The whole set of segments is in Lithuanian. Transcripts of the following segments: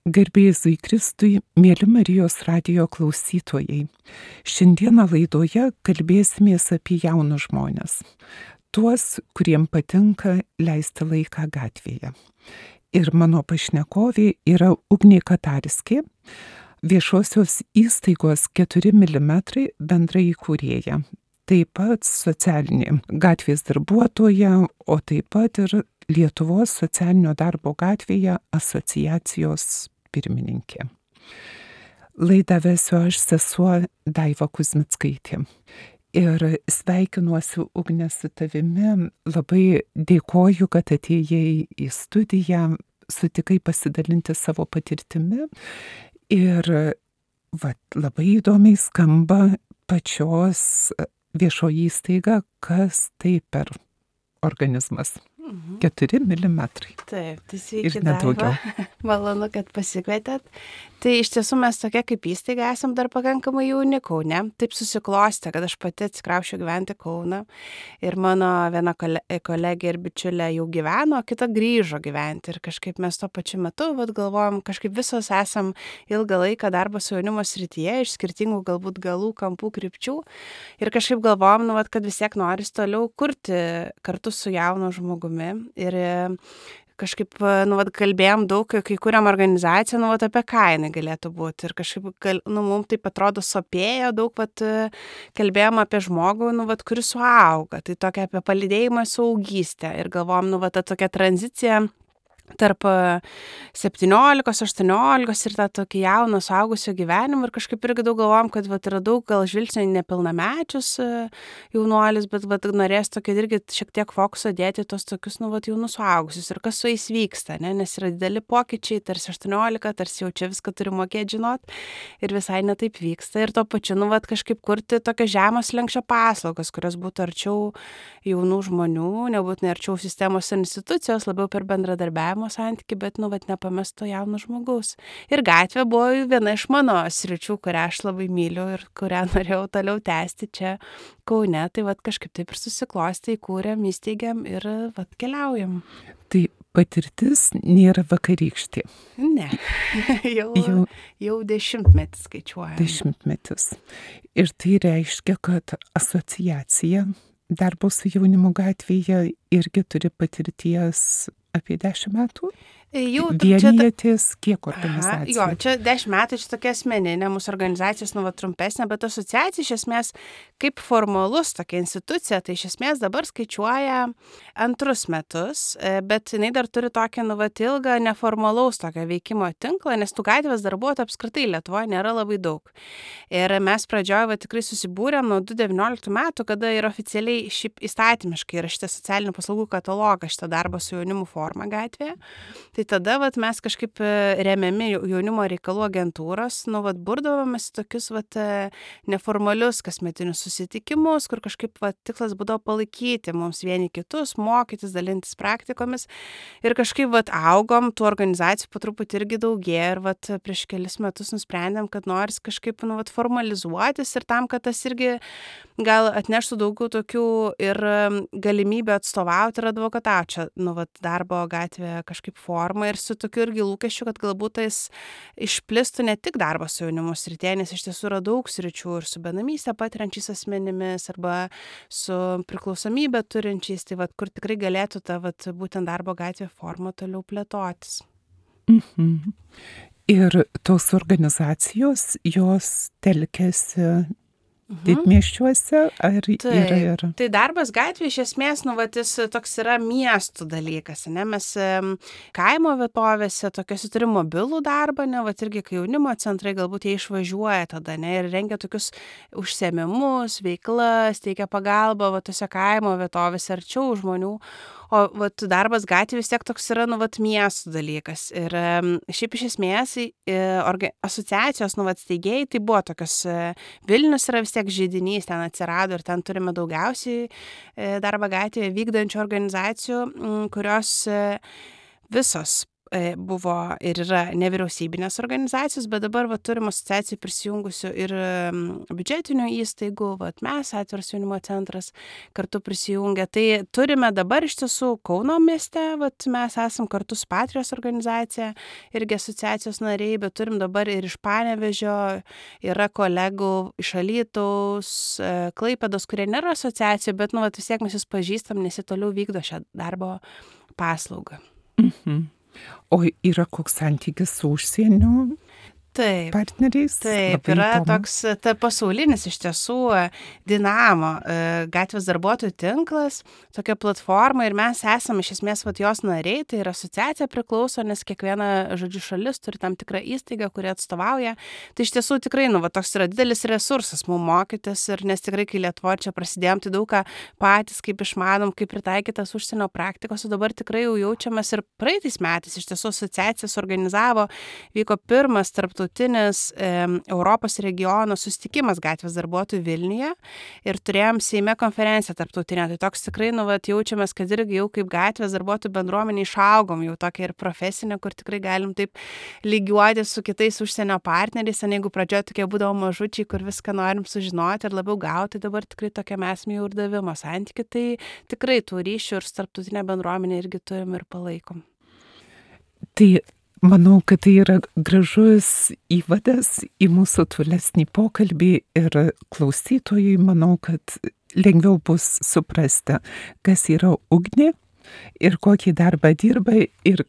Garbė Jėzui Kristui, mėly Marijos radijo klausytojai. Šiandieną laidoje kalbėsimės apie jaunus žmones. Tuos, kuriem patinka leisti laiką gatvėje. Ir mano pašnekovė yra Ugnė Katarskė, viešosios įstaigos 4 mm bendra įkūrėja. Taip pat socialinė gatvės darbuotoja, o taip pat ir Lietuvos socialinio darbo gatvėje asociacijos pirmininkė. Laidą vesiu aš, sesuo Daiva Kuzmickaitė. Ir sveikinuosi, Ugne, su tavimi. Labai dėkoju, kad atėjai į studiją, sutikai pasidalinti savo patirtimi. Ir labai įdomiai skamba pačios viešoji įstaiga, kas tai per organizmas. 4 mm. Taip, tai sveiki, ir nedaugiau. Malonu, kad pasikvietėt. Tai iš tiesų mes tokia kaip įstaiga esam dar pakankamai jauni Kaune. Taip susiklostė, kad aš pati atsikrausčiau gyventi Kauną. Ir mano viena kolegė ir bičiulė jau gyveno, o kita grįžo gyventi. Ir kažkaip mes tuo pačiu metu galvojom, kažkaip visos esam ilgą laiką darbo su jaunimo srityje, iš skirtingų galbūt galų, kampų, krypčių. Ir kažkaip galvojom, kad vis tiek noris toliau kurti kartu su jaunu žmogumi. Ir kažkaip, kalbėjom daug, kai kuriam organizaciją, apie ką jinai galėtų būti. Ir kažkaip, mums taip atrodo sopėjo daug, kalbėjom apie žmogų, kuris suauga. Tai tokia apie palydėjimą suaugystę. Ir galvojom, ta tokia tranzicija tarp 17-18 ir tą tokį jauną suaugusio gyvenimą. Ir kažkaip irgi daug galvojom, kad yra daug gal žvilgsnio nepilnamečius jaunuolis, bet norės tokį irgi šiek tiek fokusą dėti tos tokius, jaunus suaugusius. Ir kas su jais vyksta, ne? Nes yra dideli pokyčiai, tarsi 18, tarsi jau čia viską turi mokėti žinot. Ir visai netaip vyksta. Ir tuo pačiu, kažkaip kurti tokias žemos lenkščio paslaugas, kurios būtų arčiau jaunų žmonių, nebūtų arčiau sistemos ir institucijos, labiau per bendradarbiavimą santyki, bet, nepamesto jauno žmogaus. Ir gatvė buvo viena iš mano sričių, kurią aš labai myliu ir kurią norėjau toliau tęsti čia Kaune. Tai kažkaip taip ir susiklostė, įkūrėm, įsteigėm ir keliaujam. Tai patirtis nėra vakarykštė. Ne, jau 10-metis skaičiuojam. 10-metis. Ir tai reiškia, kad asociacija darbo su jaunimu gatvėje irgi turi patirties apie 10 metų? Vienijatės kiek organizacijų? Jo, čia 10 metų, čia tokia asmeninė, mūsų organizacijos trumpesnė, bet asociacija iš esmės kaip formalus tokia institucija, tai iš esmės dabar skaičiuoja 2 metus, bet jinai dar turi tokią ilgą neformalaus tokio veikimo tinklą, nes tų gatvės darbuotojų apskritai Lietuvoje nėra labai daug. Ir mes pradžioje tikrai susibūrėm nuo 2019 metų, kada ir oficialiai šiaip įstatymiškai yra šitas socialinių paslaugų katalogas, šitą darbą su jaunimu forma gatvėje. Tai tada mes kažkaip remiami jaunimo reikalų agentūros, burdavomės tokius neformalius kasmetinius susitikimus, kur kažkaip tikslas būdavo palaikyti mums vieni kitus, mokytis, dalintis praktikomis. Ir kažkaip augom, tų organizacijų po truputį irgi daugėja. Ir prieš kelis metus nusprendėm, kad noris kažkaip formalizuotis ir tam, kad tas irgi gal atneštų daugiau tokių ir galimybę atstovauti ir advokatauti čia, darbo gatvėje kažkaip formą ir su tokiu irgi lūkesčiu, kad galbūt tais išplistų ne tik darbas su jaunimu srityje, nes iš tiesų yra daug sričių ir su benamystę patiriančiais asmenimis arba su priklausomybę turinčiais, tai kur tikrai galėtų ta būtent darbo gatvė forma toliau plėtotis. Mhm. Ir tos organizacijos, jos telkiasi didmiesčiuose ar yra? Tai darbas gatvėje iš esmės, jis toks yra miestų dalykas, ne? Mes kaimo vietovėse tokiuose turim mobilų darbą, ne? Irgi kai jaunimo centrai galbūt jie išvažiuoja tada, ne? Ir rengia tokius užsiėmimus, veiklas, teikia pagalbą tose kaimo vietovėse arčiau žmonių. O darbas gatvėje vis tiek toks yra miestų dalykas. Ir šiaip iš esmės asociacijos steigėjai tai buvo tokios, Vilnius yra vis tiek židinys, ten atsirado ir ten turime daugiausiai darbą gatvėje vykdančių organizacijų, kurios visos buvo ir yra nevyriausybinės organizacijos, bet dabar turim asociacijų prisijungusių ir biudžetinių įstaigų, mes, Atviras jaunimo centras, kartu prisijungę. Tai turime dabar iš tiesų Kauno mieste, mes esam kartu su Patrijos organizacija, irgi asociacijos nariai, bet turim dabar ir iš Panevėžio, yra kolegų iš Alytaus, Klaipėdos, kurie nėra asociacijų, bet vis tiek mes jūs pažįstam, nes jie toliau vykdo šią darbo paslaugą. O yra koks santykis su užsieniu partneriais? Taip, yra toks pasaulinis iš tiesų Dinamo gatvės darbuotojų tinklas, tokia platforma ir mes esame iš esmės jos nariai, tai yra asociacija priklauso, nes kiekviena, šalis turi tam tikrą įstaigą, kuri atstovauja. Tai iš tiesų tikrai, toks yra didelis resursas mums mokytis ir nes tikrai, kai Lietuvoje čia prasidėjom, tai daug ką patys, kaip išmanom, kaip pritaikytas užsienio praktikos, o dabar tikrai jau jaučiamas ir praeitais metais iš tiesų asociacija suorganizavo, vyko pirmas tarptautinis Europos regiono susitikimas gatvės darbuotojų Vilniuje ir turėjom Seime konferenciją tarptautinę. Tai toks tikrai, jaučiamės, kad irgi jau kaip gatvės darbuotojų bendruomenė išaugom jau tokia ir profesinė, kur tikrai galim taip lygiuoti su kitais užsienio partneriais, jeigu pradžioje tokie būdavo mažučiai, kur viską norim sužinoti ir labiau gauti, dabar tikrai tokia mes jau ir davimo santyki, tai tikrai tų ryšių ir tarptautinė bendruomenė irgi turim ir palaikom. Tai manau, kad tai yra gražus įvadas į mūsų tolesnį pokalbį ir klausytojui, manau, kad lengviau bus suprasti, kas yra Ugnė ir kokį darbą dirba ir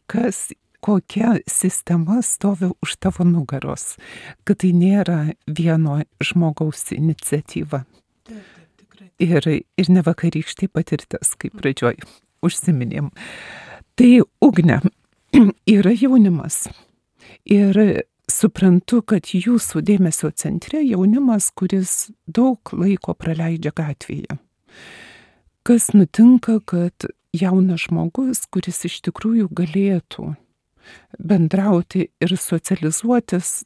kokia sistema stovi už tavo nugaros, kad tai nėra vieno žmogaus iniciatyva. Tikrai. Ir ne vakarykštė patirtis, kaip pradžioj užsiminėm. Tai Ugnė, yra jaunimas ir suprantu, kad jūsų dėmesio centre jaunimas, kuris daug laiko praleidžia gatvėje. Kas nutinka, kad jaunas žmogus, kuris iš tikrųjų galėtų bendrauti ir socializuotis,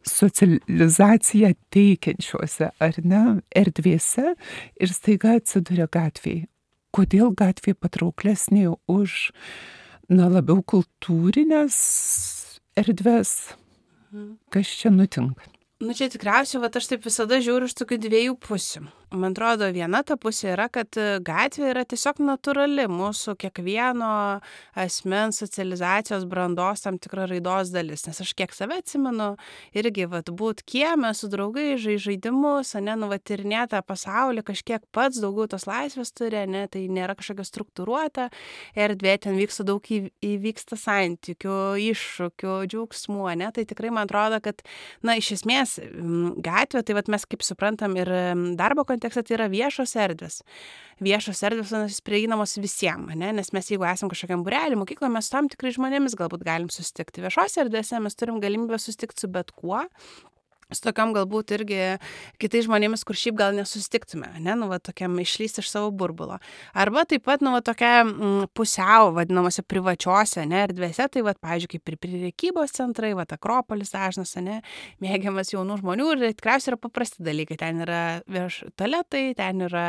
socializaciją teikiančiuose ar ne erdvėse ir staiga atsiduria gatvėje. Kodėl gatvė patrauklesnė už labiau kultūrinės erdvės? Kas čia nutinka? Čia tikriausiai, aš taip visada žiūriu iš tokių dviejų pusių. Man atrodo, viena ta pusė yra, kad gatvė yra tiesiog natūrali mūsų kiekvieno asmens socializacijos brandos tam tikra raidos dalis. Nes aš kiek save atsimenu, irgi būt kieme su draugai, žaidimus, tyrinėtą pasaulį, kažkiek pats daugiau tos laisvės turi, tai nėra kažkokia struktūruota erdvė, ten vyksta daug įvyksta santykių, iššūkių, džiaugsmų, tai tikrai man atrodo, kad, iš esmės gatvė, tai mes kaip suprantam ir darbo kontekste, tai yra viešos erdvės. Viešos erdvės prieinamos visiems, nes mes jeigu esam kažkokiam būrelį, mokykloje, mes su tam tikrai žmonėmis galbūt galim susitikti. Viešose erdvėse mes turim galimybę susitikti su bet kuo. Su tokiam galbūt irgi kitais žmonėmis, kur šiaip gal nesusitiktume, tokiam išlysti iš savo burbulo. Arba taip pat, tokia pusiau, vadinamose privačiose, erdvėse, tai, pavyzdžiui, kaip ir prekybos centrai, Akropolis dažnas, mėgiamas jaunų žmonių ir tikriausiai yra paprasti dalykai. Ten yra tualetai, ten yra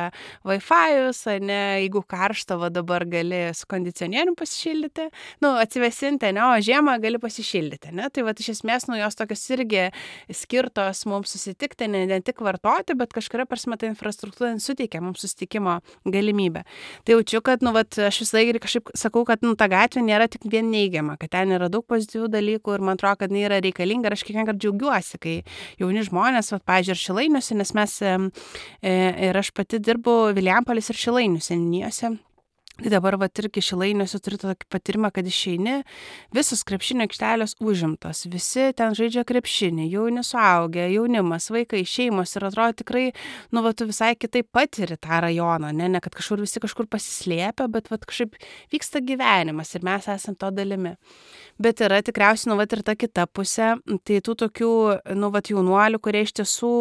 Wi-Fi'us, jeigu karšta, dabar gali su kondicionierium pasišildyti, atsivesinti, o žiemą gali pasišildyti, Tai, iš esmės, jos tokios irgi skirtos mums susitikti, ne tik vartoti, bet kažkuria prasme ta infrastruktūra suteikia mums susitikimo galimybę. Tai jaučiu, kad, aš visą laiką kažkaip sakau, kad, ta gatvė nėra tik vien neigiama, kad ten yra daug pozityvių dalykų ir man atrodo, kad jinai yra reikalinga ir aš kiekvieną kartą džiaugiuosi, kai jauni žmonės, pavyzdžiui, ir Šilainiuose, nes mes ir aš pati dirbu Vilijampolės ir Šilainių seniūnijose. Tai dabar irgi Šilainiuose turiu tokį patyrimą, kad išeini, visos krepšinio aikštelės užimtos, visi ten žaidžia krepšinį, jauni suaugę, jaunimas, vaikai, šeimos ir atrodo tikrai, tu visai kitaip patiri tą rajoną, ne kad visi kažkur pasislėpia, bet kažkaip vyksta gyvenimas ir mes esam to dalimi. Bet yra tikriausiai, ir ta kita pusė, tai tų tokių, jaunuolių, kurie iš tiesų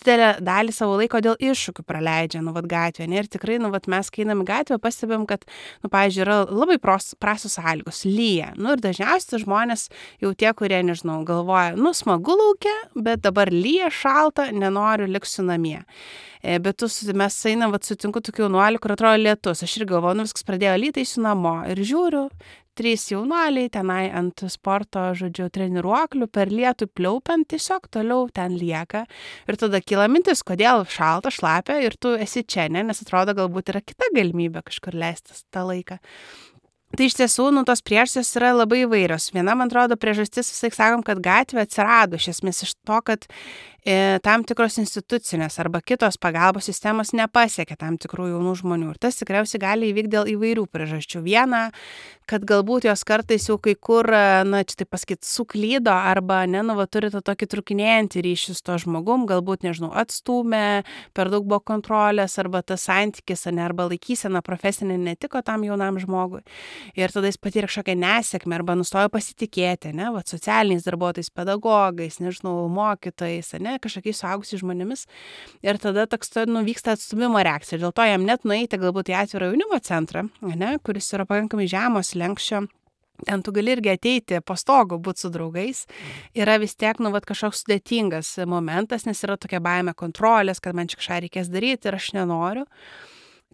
didelę dalį savo laiko dėl iššūkių praleidžia, gatvėje. Ir tikrai, mes kai einam į gatvę, pastebim, kad, pavyzdžiui, yra labai prastos sąlygos, lyja. Ir dažniausiai žmonės jau tie, kurie, galvoja, smagu lauke, bet dabar lyja, šalta, nenoriu, liksiu namie. Bet mes einam, sutinku tokių jaunuolių, kur atrodo lietus. Aš ir galvoju, viskas pradėjo lyti, eisiu namo. Ir žiūriu, 3 jaunuoliai tenai ant sporto, žodžiu, treniruoklių per lietų pliaupiant tiesiog toliau ten lieka. Ir tada kyla mintis, kodėl šalta, šlapia ir tu esi čia, ne? Nes atrodo, galbūt yra kita galimybė kažkur leistis tą laiką. Tai iš tiesų, tos priežastys yra labai įvairios. Viena, man atrodo, priežastis visai sakom, kad gatvė atsirado iš esmės iš to, kad tam tikros institucinės arba kitos pagalbos sistemos nepasiekia tam tikrų jaunų žmonių. Ir tas tikriausiai gali įvykti dėl įvairių priežasčių. Viena, kad galbūt jos kartais jau kai kur, čia taip pasakyti, suklydo arba, turi tą tokį trukinėjantį ryšį su to žmogum, galbūt, atstūmė, per daug buvo kontrolės arba tas santykis, arba laikysena profesinė netiko tam jaunam žmogui. Ir tada jis patyrė kažkokią nesėkmę arba nustojo pasitikėti, socialiniais darbuotojais, pedagogais, mokytojais, kažkokiais suaugusiais žmonėmis. Ir tada toks vyksta atstūmimo reakcija. Dėl to jam net nueiti galbūt į atvirą jaunimo centrą, kuris yra pakankamai žemos lenkščio. Ten tu gali irgi ateiti po stogu, būti su draugais. Yra vis tiek, kažkoks sudėtingas momentas, nes yra tokia baimė kontrolės, kad man čia kažką reikės daryti ir aš nenoriu.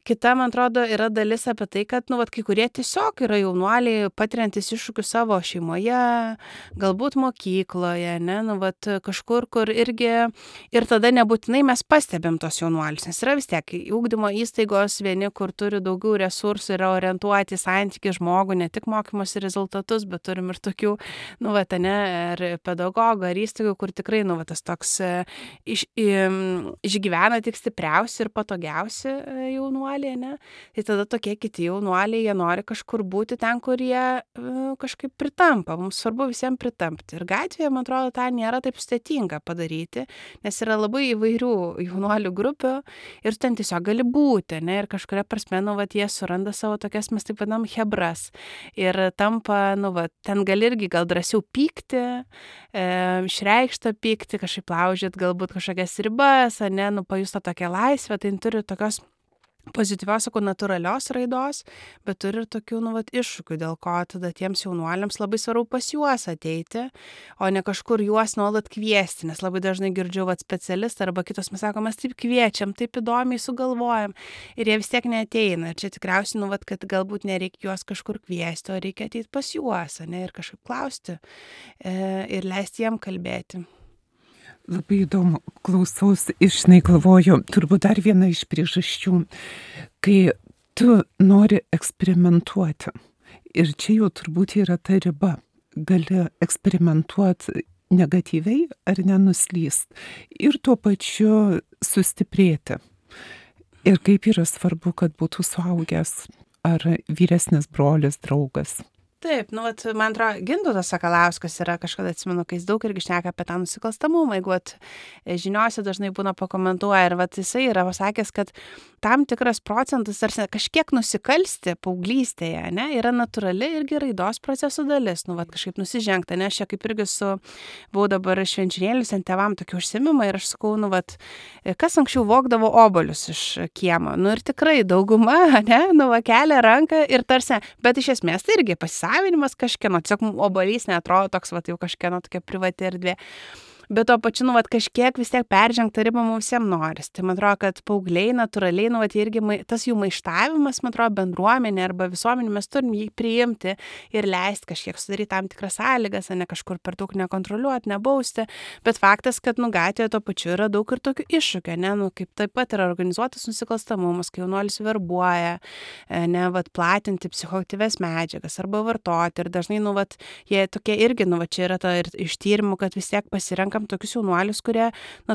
Kita, man atrodo, yra dalis apie tai, kad, kai kurie tiesiog yra jaunuoliai patiriantis iššūkių savo šeimoje, galbūt mokykloje, kažkur, kur irgi, ir tada nebūtinai mes pastebim tos jaunuolius, nes yra vis tiek ūkdymo įstaigos vieni, kur turi daugiau resursų, yra orientuoti į santykį žmogų, ne tik mokymosi rezultatus, bet turim ir tokių, ar pedagogų, ar įstaigų, kur tikrai, tas toks išgyvena tik stipriausi ir patogiausi jaunuoliai. Tai tada tokie kiti jaunuoliai, jie nori kažkur būti ten, kur jie kažkaip pritampa. Mums svarbu visiems pritampti. Ir gatvėje, man atrodo, tą nėra taip sudėtinga padaryti, nes yra labai įvairių jaunuolių grupių ir ten tiesiog gali būti, ir kažkuria prasme, jie suranda savo tokias, mes taip vadinam, hebras. Ir tampa, ten gali irgi gal drąsiau pykti, išreikštą pykti, kažkaip laužyti galbūt kažkokias ribas, pajusto tokią laisvę, tai turi tokios pozityvios, natūralios raidos, bet turi ir tokių, iššūkių, dėl ko tada tiems jaunuoliams labai svarbu pas juos ateiti, o ne kažkur juos nuolat kviesti, nes labai dažnai girdžiu specialistą arba kitos, mes sakom, mes taip kviečiam, taip įdomiai sugalvojam ir jie vis tiek neateina. Ir čia tikriausiai, kad galbūt nereikia juos kažkur kviesti, o reikia ateiti pas juos, ir kažkaip klausti ir leisti jiem kalbėti. Labai įdomu, klausausi ir galvoju, turbūt dar viena iš priežasčių, kai tu nori eksperimentuoti. Ir čia jau turbūt yra ta riba. Gali eksperimentuoti negatyviai ar nenuslyst. Ir tuo pačiu sustiprėti. Ir kaip yra svarbu, kad būtų suaugęs ar vyresnis brolis, draugas. Taip, man atrodo, Gintautas Sakalauskas yra kažkada, atsimenu, kai jis daug irgi šneka apie tą nusikalstamumą, jeigu žiniose dažnai būna pakomentuoja ir jisai yra pasakęs, kad tam tikras procentas, tarsi kažkiek nusikalsti paauglystėje, yra natūrali irgi raidos procesų dalis, kažkaip nusižengta, aš čia kaip irgi buvau dabar švenčionėlius ant tėvam tokį užsiėmimą ir aš sakau, kas anksčiau vogdavo obuolius iš kiemo, ir tikrai dauguma, kelia ranką ir tarsi, bet iš esmės tai irgi pasisavinimas kažkieno, tiesiog obuolys neatrodo toks, jau kažkieno tokia privati erdvė. Bet to pačiu, kažkiek vis tiek peržengta riba mums visiems noris. Tai man atrodo, kad paaugliai natūraliai, irgi tas jų maištavimas, man atrodo, bendruomenė arba visuomenė, mes turim jį priimti ir leisti kažkiek sudaryti tam tikras sąlygas, ne kažkur per daug nekontroliuoti, nebausti. Bet faktas, kad gatvėje to pačiu yra daug ir tokių iššūkių, kaip taip pat yra organizuotas nusikalstamumas, kai jaunuolis verbuoja, platinti psichoaktyvias medžiagas arba vartoti. Ir dažnai, jie tokie irgi, čia yra ta ir iš tyrimų, kad vis tiek pasirenkam tokius jaunuolius, kurie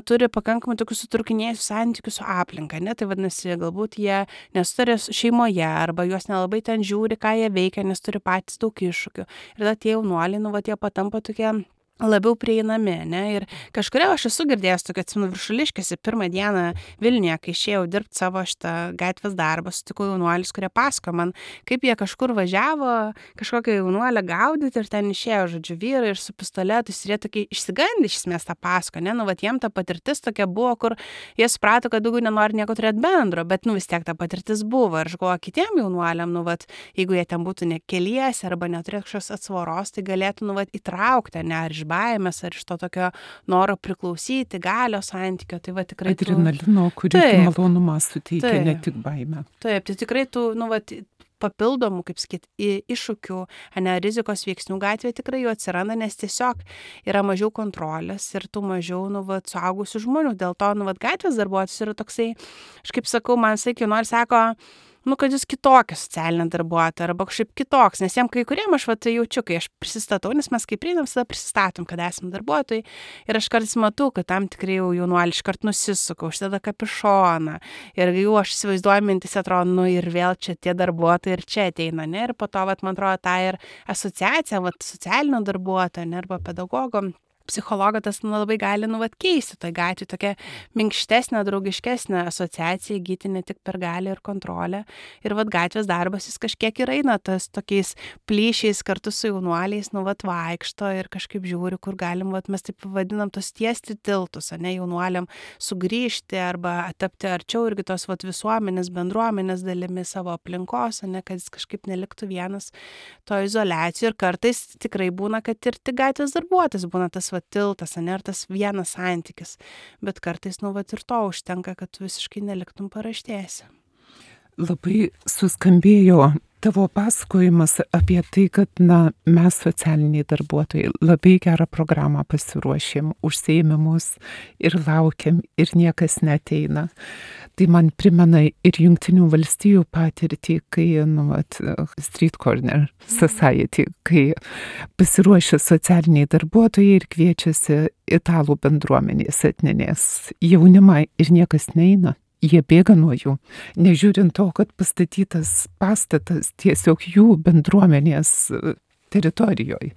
turi pakankamai tokius sutrūkinėjusius santykius su aplinka, tai vadinasi, galbūt jie nesutarė šeimoje arba juos nelabai ten žiūri, ką jie veikia, nes turi patys daug iššūkių. Ir tada tie jaunuoliai, jie patampa tokie labiau prieinami, ir kažkuria aš esu girdėjęs tokio, atsimenu, Viršuliškėse pirmą dieną Vilniuje, kai išėjau dirbti savo šitą gatvės darbą, sutikau jaunuolius, kurie pasako man, kaip jie kažkur važiavo, kažkokią jaunuolę gaudyti ir ten išėjo, žodžiu, vyrai ir su pistoletais ir jie tokie išsigandę iš esmės tą pasako, jiem ta patirtis tokia buvo, kur jie suprato, kad daugiau nenori nieko turėti bendro, bet vis tiek ta patirtis buvo ir aš galvoju, kitiem jaunuoliam, jeigu jie ten būtų ne keliese arba neturėtų kažkokios atsvaros, tai galėtų, įtraukti, ar iš baimės, ar iš to tokio noro priklausyti, galios santykio, tai tikrai adrenalino, kurį malonumą suteikia, ne tik baimę. Taip, tai tikrai papildomų, kaip sakyt, iššūkių, rizikos veiksnių gatvėje tikrai jų atsiranda, nes tiesiog yra mažiau kontrolės ir tų mažiau, suaugusių žmonių. Dėl to, gatvės darbuotojas yra toksai, aš kaip sakau, man sakė, nors sako, kad jūs kitokia socialinė darbuotoja arba kažkaip kitoks, nes jiem kai kuriem aš jaučiu, kai aš prisistatau, nes mes kai prieinam, visada prisistatom, kad esame darbuotojai ir aš kartais matau, kad tam tikrai jau jaunuoliai iškart nusisuka, užsideda kapišoną ir jau aš įsivaizduoju mintis, atrodo, ir vėl čia tie darbuotojai ir čia ateina, ne, ir po to, man atrodo, ta ir asociacija, socialinio darbuotojo, ne, arba pedagogo, psichologo tas labai gali keisti toj gatvėje, tokia minkštesnė, draugiškesnė asociacija įgyti ne tik per galią ir kontrolę. Ir gatvės darbas jis kažkiek ir eina tas tokiais plyšiais kartu su jaunuoliais, vaikšto ir kažkaip žiūri, kur galim, mes taip vadinam tos tiesti tiltus, ne, jaunuoliam sugrįžti arba tapti arčiau irgi tos visuomenės, bendruomenės dalimi savo aplinkos, ne, kad jis kažkaip neliktų vienas to izoliacijų. Ir kartais tikrai būna, kad ir tik gatvės darbuotojas būna tas tiltas, ar tas vienas santykis, bet kartais, ir to užtenka, kad tu visiškai neliktum paraštėse. Labai suskambėjo tavo pasakojimas apie tai, kad, mes socialiniai darbuotojai labai gerą programą pasiruošėm, užsiėmimus ir laukiam ir niekas neateina. Tai man primena ir Jungtinių valstijų patirtį, kai, Street Corner Society, kai pasiruošia socialiniai darbuotojai ir kviečiasi italų bendruomenės etninės jaunimą ir niekas neina. Jie bėga nuo jų, nežiūrint to, kad pastatytas pastatas tiesiog jų bendruomenės teritorijoje.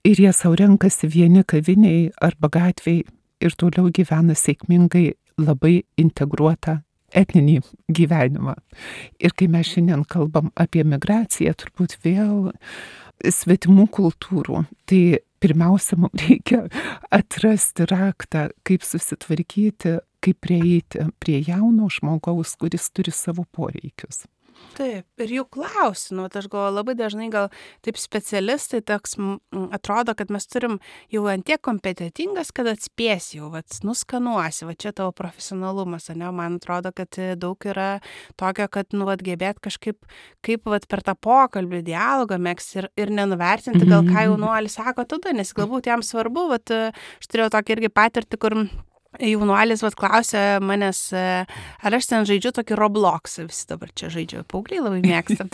Ir jie sau renkasi vieni kaviniai arba gatviai ir toliau gyvena sėkmingai labai integruotą etninį gyvenimą. Ir kai mes šiandien kalbam apie migraciją, turbūt vėl svetimų kultūrų, tai pirmiausia, mums reikia atrasti raktą, kaip susitvarkyti, kaip prieiti prie jauno žmogaus, kuris turi savo poreikius. Taip, ir jų klausiu, aš galvoju, labai dažnai gal taip specialistai toks atrodo, kad mes turim jau antiek kompetitingas, kad atspės jau, nuskanuosi, čia tavo profesionalumas, ne, man atrodo, kad daug yra tokio, kad, gebėt kažkaip, kaip per tą pokalbį, dialogą megzti ir nenuvertinti, gal ką jaunuolis sako tada, nes galbūt jam svarbu, aš turėjau tokį irgi patirtį, kur jaunuolis klausė manęs, ar aš ten žaidžiu tokį Roblox, visi dabar čia žaidžiu, paaugliai labai mėgsta.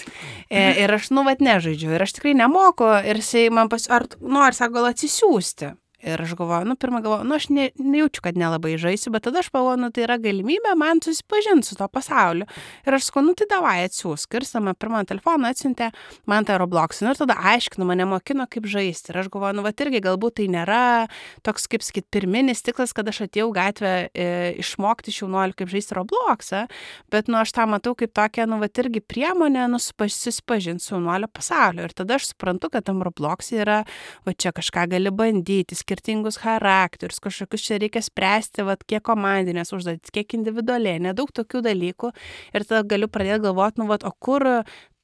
Ir aš, nežaidžiu, ir aš tikrai nemoku, ir jisai man ar sako, gal atsisiųsti. Ir aš galvoju, pirmą galvoju, aš nejaučiu, kad nelabai žaisiu, bet tada aš galvoju, tai yra galimybė man susipažinti su to pasauliu. Ir aš sakau, tai davai atsiųsk. Ir sama pirmą telefoną atsiuntė man tą Robloxą. Ir tada aiškinu, mane mokino, kaip žaisti. Ir aš galvoju, irgi galbūt tai nėra toks, kaip sakyt, pirminis tiklas, kad aš atėjau gatvę išmokti jaunuolių, kaip žaisti Robloxą, bet aš tą matau kaip tokią, irgi priemonę susipažinti su jaunuolio pasauliu. Ir tada aš suprantu, kad tam Roblox'e yra, čia kažką gali bandyti, skirtingus charakterius, kažkokius čia reikia spręsti, kiek komandinės užduotis, kiek individualiai, nedaug tokių dalykų. Ir tada galiu pradėti galvoti, o kur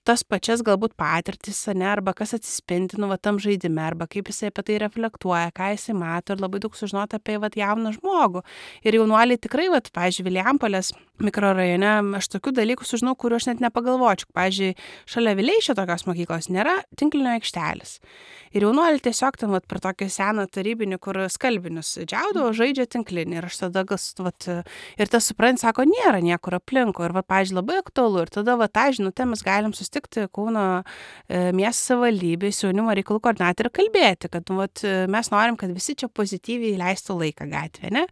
tas pačias galbūt patirtis, arba kas atsispindi, tam žaidime, arba kaip jisai apie tai reflektuoja, ką jisai mato ir labai daug sužinoti apie jauną žmogų. Ir jaunuoliai tikrai, pavyzdžiui, Vilijampolės mikrorajone, aš tokių dalykų sužinau, kuriuo aš net nepagalvočiau. Pavyzdžiui, šalia Vileišio tokios mokyklos nėra tinklinio aikštelės. Ir jaunuoliai tiesiog ten per tokį seną tarybinį, kur skalbinius džiaudavo, žaidžia tinklinį. Ir aš tada ir tas suprant, sako, nėra niekur aplinko. Ir pavyzdžiui, labai aktualu. Ir tada tą žinutę mes galim susitikti Kauno miesto savivaldybėje su jaunimo reikalų koordinatoriu ir kalbėti, kad mes norim, kad visi čia pozityviai leistų laiką gatvėje, ne?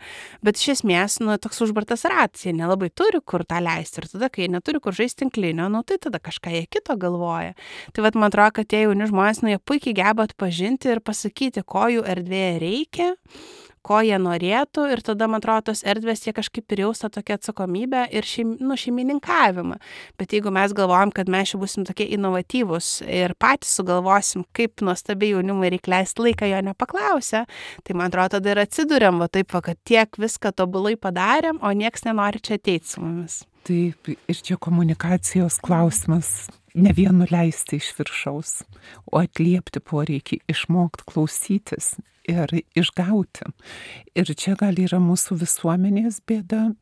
Bet iš esmės, toks užbartas ratas, jie nelabai turi kur tą leisti. Ir tada, kai jie neturi kur žaisti tinklinio, tai tada kažką jie kito galvoja. Tai man atrodo, kad tie jauni žmonės, jie puikiai geba atpažinti ir pasakyti, ko jų erdvėje reikia, ko jie norėtų, ir tada, man atrodo, tos erdvės jie kažkaip ir jaus tą tokią atsakomybę ir šeimininkavimą. Bet jeigu mes galvojam, kad mes čia būsim tokie inovatyvūs ir patys sugalvosim, kaip nuostabiai jaunimui reikia leisti laiką jo nepaklausę, tai, man atrodo, tada ir atsiduriam, kad tiek viską tobulai padarėm, o nieks nenori čia ateiti su mumis. Taip, ir čia komunikacijos klausimas ne vien nuleisti iš viršaus, o atliepti poreikį, išmokti klausytis ir išgauti. Ir čia gal yra mūsų visuomenės bėda,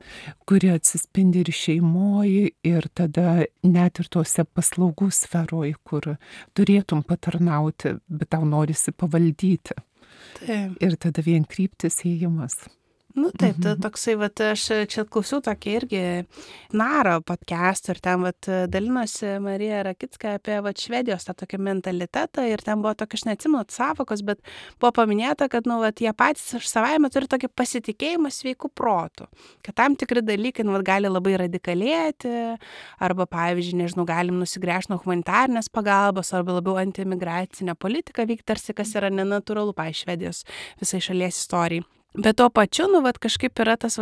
kuri atsispindi ir šeimoje, ir tada net ir tose paslaugų sferoje, kur turėtum patarnauti, bet tau norisi pavaldyti. Taip. Ir tada vien kryptis ėjimas. Nu taip, toksai, aš čia klausiau tokį irgi Naro podcast'ą ir ten dalinosi Marija Rakicka apie Švedijos tą tokį mentalitetą ir ten buvo tokia, aš neatsimenu savokos, bet buvo paminėta, kad jie patys iš savaime turi tokį pasitikėjimą sveikų protų, kad tam tikri dalykai gali labai radikalėti, arba pavyzdžiui, nežinau, galim nusigręžti nuo humanitarnės pagalbos, arba labiau antimigracinę politiką vykti, tarsi kas yra nenatūralu, pavyzdžiui, Švedijos visai šalies istorijai. Bet tuo pačiu, kažkaip yra tas,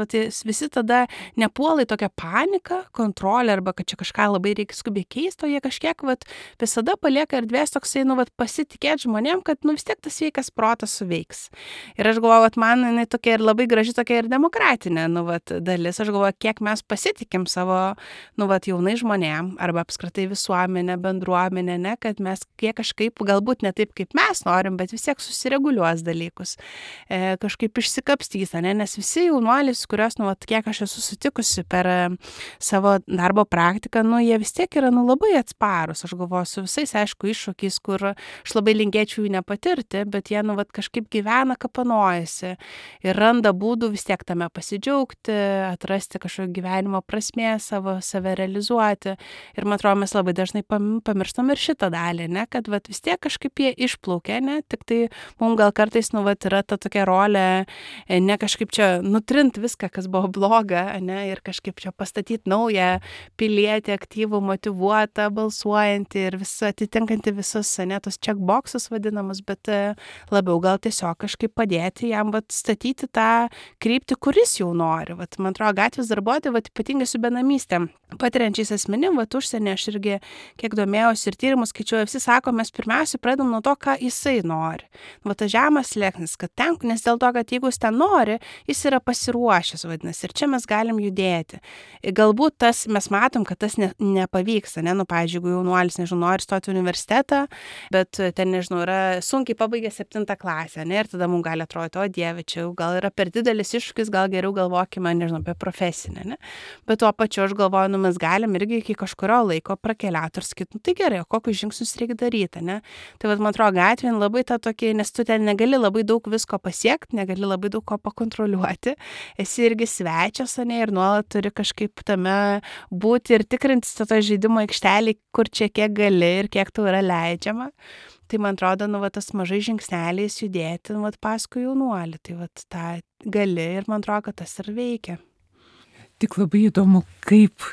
visi tada nepuola į tokią paniką, kontrolę, arba kad čia kažką labai reikia skubiai keisti, o jie kažkiek visada palieka erdvės toksai, pasitikėti žmonėm, kad vis tiek tas sveikas protas suveiks. Ir aš galvoju, man jinai tokia ir labai graži, tokia ir demokratinė, dalis. Aš galvoju, kiek mes pasitikim savo, jaunai žmonėm, arba apskritai visuomenę, bendruomenę, ne, kad mes kiek kažkaip, galbūt ne taip, kaip mes norim, bet vis tiek susireguliuos dalykus. Kažkaip kapstys, nes visi jaunuolis, kurios, kiek aš esu sutikusi per savo darbo praktiką, jie vis tiek yra, labai atsparus. Aš galvoju, su visais, aišku, iššūkiais, kur aš labai linkėčiau jų nepatirti, bet jie, kažkaip gyvena, kapanojasi ir randa būdų vis tiek tame pasidžiaugti, atrasti kažkokio gyvenimo prasmę, save realizuoti. Ir man atrodo, mes labai dažnai pamirštam ir šitą dalį, ne, kad vis tiek kažkaip jie išplaukia, ne, tik tai mums gal kartais, yra ta tokia rolė, ne kažkaip čia nutrint viską, kas buvo bloga, ne, ir kažkaip čia pastatyti naują pilietį, aktyvų, motyvuotą, balsuojantį ir atitinkantį visus, ne, tos checkboxus vadinamus, bet labiau gal tiesiog kažkaip padėti jam statyti tą kryptį, kuris jau nori. Man atrodo, gatvės darbuotojai, ypatingai su benamystėm, patiriančiais asmenim, užsienį aš irgi kiek domėjausi ir tyrimus skaičiuoju, visi sako, mes pirmiausia pradedam nuo to, ką jisai nori. Tas žemas slėgsnis, kad ten, nes dėl to, kad jeigu jis ten nori, jis yra pasiruošęs, vadinasi, ir čia mes galim judėti. Galbūt mes matom, kad tas nepavyksta, ne, pavyzdžiui, jeigu jaunuolis, nori stoti į universitetą, bet ten, yra sunkiai pabaigė 7 klasę, ne, ir tada mums gali atrodyti, o Dieve, čia gal yra per didelis iššūkis, gal geriau galvokime, apie profesinę, ne. Bet tuo pačiu aš galvoju, mes galim irgi iki kažkurio laiko prakeliauti ir sakyti, tai gerai, o kokius žingsnius reikia daryti, ne. Tai man atrodo, gatvėn labai tą tokį, nes tu ten negali labai daug visko pasiekti, negali labai daug ko pakontroliuoti, esi irgi svečias, ne, ir nuolat turi kažkaip tame būti ir tikrintis to žaidimo aikštelį, kur čia kiek gali ir kiek tau yra leidžiama. Tai man atrodo, tas mažai žingsneliais judėti, paskui jaunuolį, tai tą gali ir man atrodo, kad tas ir veikia. Tik labai įdomu, kaip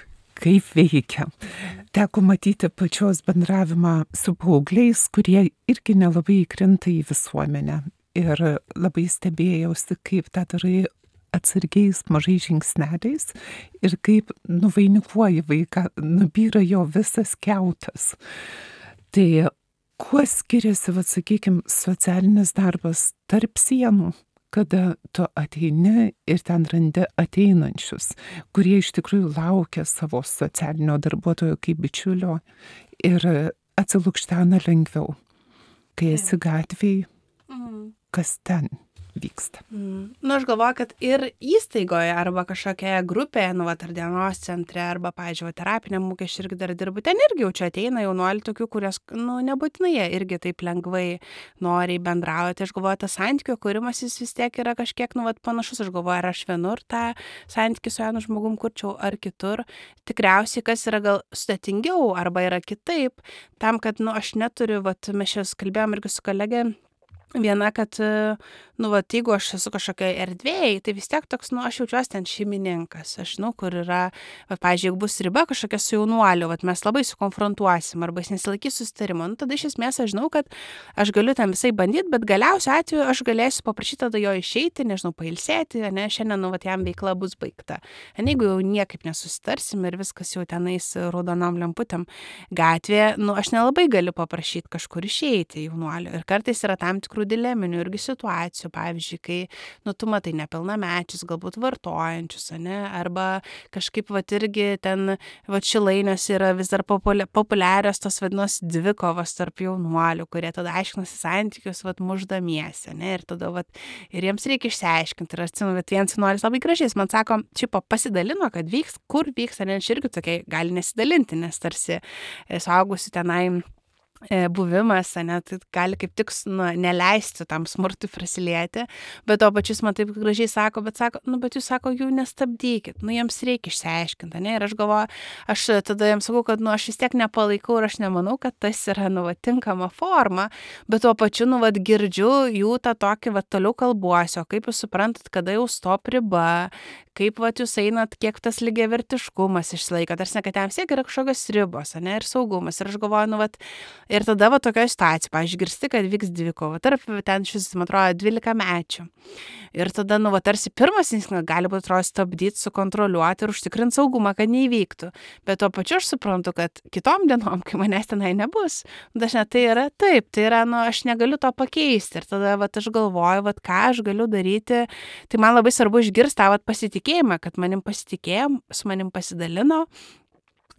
veikia. Teko matyti pačios bendravimą su paaugliais, kurie irgi nelabai įkrinta į visuomenę. Ir labai stebėjausi, kaip tą darai atsargiais mažais žingsneliais ir kaip nuvainikuoji vaiką, nubyra jo visas kiautas. Tai kuo skiriasi, sakykime, socialinis darbas tarp sienų, kada tu ateini ir ten randi ateinančius, kurie iš tikrųjų laukia savo socialinio darbuotojo kaip bičiulio ir atsilukštena lengviau, kai esi gatvėje. Kas ten vyksta. Aš galvoju, kad ir įstaigoje arba kažkokioje grupėje, ar dienos centre, arba, pavyzdžiui, terapiniam ūkį aš irgi dar dirbu, ten irgi jau čia ateina jaunuolių tokių, kurios, nebūtinai jie irgi taip lengvai noriai bendrauja. Tai aš galvoju, tas santykių kūrimas jis vis tiek yra kažkiek, panašus. Aš galvoju, ar aš vienur tą santykį su jaunu žmogum kurčiau, ar kitur. Tikriausiai, kas yra gal sudėtingiau, arba yra kitaip, tam, kad, aš neturiu, mes čia kalbėjom irgi su kolegė, viena, kad, jeigu aš esu kažkokiai erdvėjai, tai vis tiek toks, aš jaučiuosi ten šeimininkas. Aš žinau, kur yra, pavyzdžiui, jeigu bus riba kažkokia su jaunuoliu, mes labai sukonfrontuosim, arba jis nesilaikys susitarimo, tada iš esmės aš žinau, kad aš galiu ten visai bandyti, bet galiausiu atveju aš galėsiu paprašyti tada jo išeiti, pailsėti, ne, šiandien, jam veikla bus baigta. Jeigu jau niekaip nesusitarsim ir viskas jau tenais raudonom lemputėm gatvėje, aš nelabai galiu paprašyti kažkur išeiti jaunuoliu. Ir kartais yra tam tikrų tikrų dileminių irgi situacijų, pavyzdžiui, kai, tu matai nepilnamečius, galbūt vartojančius, ane, arba kažkaip, irgi ten, Šilainiuose yra vis dar populiarios tos vadinamos dvikovos tarp jaunuolių, kurie tada aiškinasi santykius, muždamiesi, ne, ir tada, ir jiems reikia išsiaiškinti. Ir atsimenu, vienas jaunuolis labai gražiai, man sako, šiaip pasidalino, kad vyks, kur vyks, ne, aš irgi tokiai gali nesidalinti, nes tarsi suaugusi tenai buvimas, ne, tai gali kaip tik neleisti tam smurtui prasilėti, bet to pačius man taip gražiai sako, bet jūs sako, jų nestabdykit, jiems reikia išsiaiškinti, ne, ir aš galvoju, aš tada jiems sakau, kad, aš vis tiek nepalaikau ir aš nemanau, kad tas yra, tinkama forma, bet to pačiu, girdžiu jų tą tokį, toliau kalbuosiu, kaip jūs suprantat, kada jau stop riba, kaip, jūs einat, kiek tas lygiavertiškumas išsilaiko, tarsi, kad jam siek yra kažkokios ribos, ne, ir saugumas, ir aš galvoju, ir tada tokioje situacijoje, pavyzdžiui, girsti, kad vyks dvikova, tarp ten šis, man atrodo, 12 mečių. Ir tada, tarsi pirmas instinktas gali būti, atrodo, stabdyti, sukontroliuoti ir užtikrinti saugumą, kad neįvyktų. Bet tuo pačiu aš suprantu, kad kitom dienom, kai manęs tenai nebus, dažnai tai yra taip, tai yra, aš negaliu to pakeisti. Ir tada, aš galvoju, ką aš galiu daryti. Tai man labai svarbu išgirsti tą pasitikėjimą, kad manim pasitikėjo, su manim pasidalino.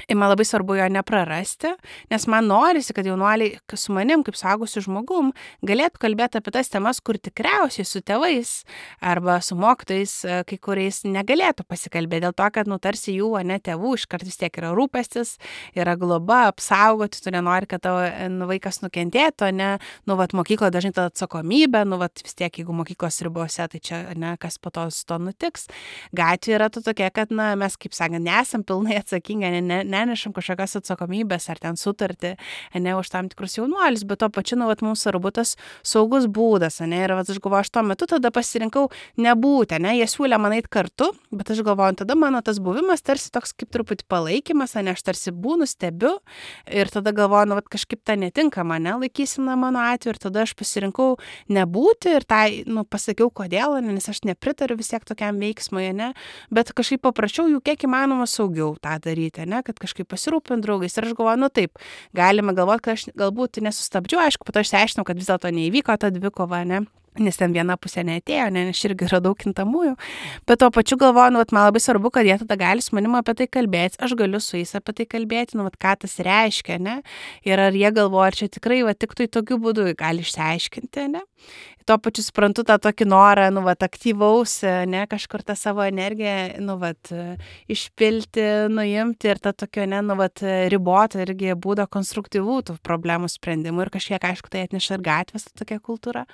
Ir man labai svarbu jo neprarasti, nes man norisi, kad jaunuoliai su manim, kaip suaugusiu žmogum, galėtų kalbėti apie tas temas, kur tikriausiai su tėvais arba su mokytojais, kai kuriais negalėtų pasikalbėti, dėl to, kad, tarsi jų, ne tėvų, iškart vis tiek yra rūpestis, yra globa, apsaugoti, tu nenori, kad tavo vaikas nukentėtų, ne, mokykloje dažnai ta atsakomybė, vis tiek, jeigu mokyklos ribose, tai čia, ne, kas po to su to nutiks. Gatvė yra tokia, kad, mes, kaip sakant, nesam pilnai atsakingi, nenešam kažkokios atsakomybės ar ten sutartį, ne, už tam tikrus jaunuolius, bet to pačiu, mums svarbu tas saugus būdas, ne, ir aš galvoju, aš tuo metu tada pasirinkau nebūti, ne, jie siūlė man eit kartu, bet aš galvoju, tada mano tas buvimas tarsi toks kaip truputį palaikymas, ne, aš tarsi būnu, stebiu ir tada galvoju, kažkaip ta netinkama, ne, laikysena mano atveju ir tada aš pasirinkau nebūti ir tai, pasakiau kodėl, nes aš nepritariu vis tiek tokiam veiksmui, ne, bet kažkaip paprašiau jų kiek įmanoma saugiau tą daryti, ne, kad kažkaip pasirūpint draugais. Ir aš galvoju, taip, galime galvoti, kad aš galbūt nesustabdžiu, aišku, po to išsiaiškinau, kad vis dėlto neįvyko ta dvikova, ne, nes ten viena pusė neatėjo, ne, nes irgi yra daug kintamųjų, bet tuo pačiu galvoju, man labai svarbu, kad jie tada gali su manim apie tai kalbėti, aš galiu su jais apie tai kalbėti, ką tas reiškia, ne, ir ar jie galvoja, ar čia tikrai, tik tai tokiu būdu gali išsiaiškinti, ne. Tuo pačiu suprantu tą tokį norą, aktyvaus, ne, kažkur tą savo energiją, išpilti, nuimti ir tą tokio, ne, ribotą irgi būdą konstruktyvų tų problemų sprendimų ir kažkiek, aišku, tai atneša ir gatvės tokia kultūra.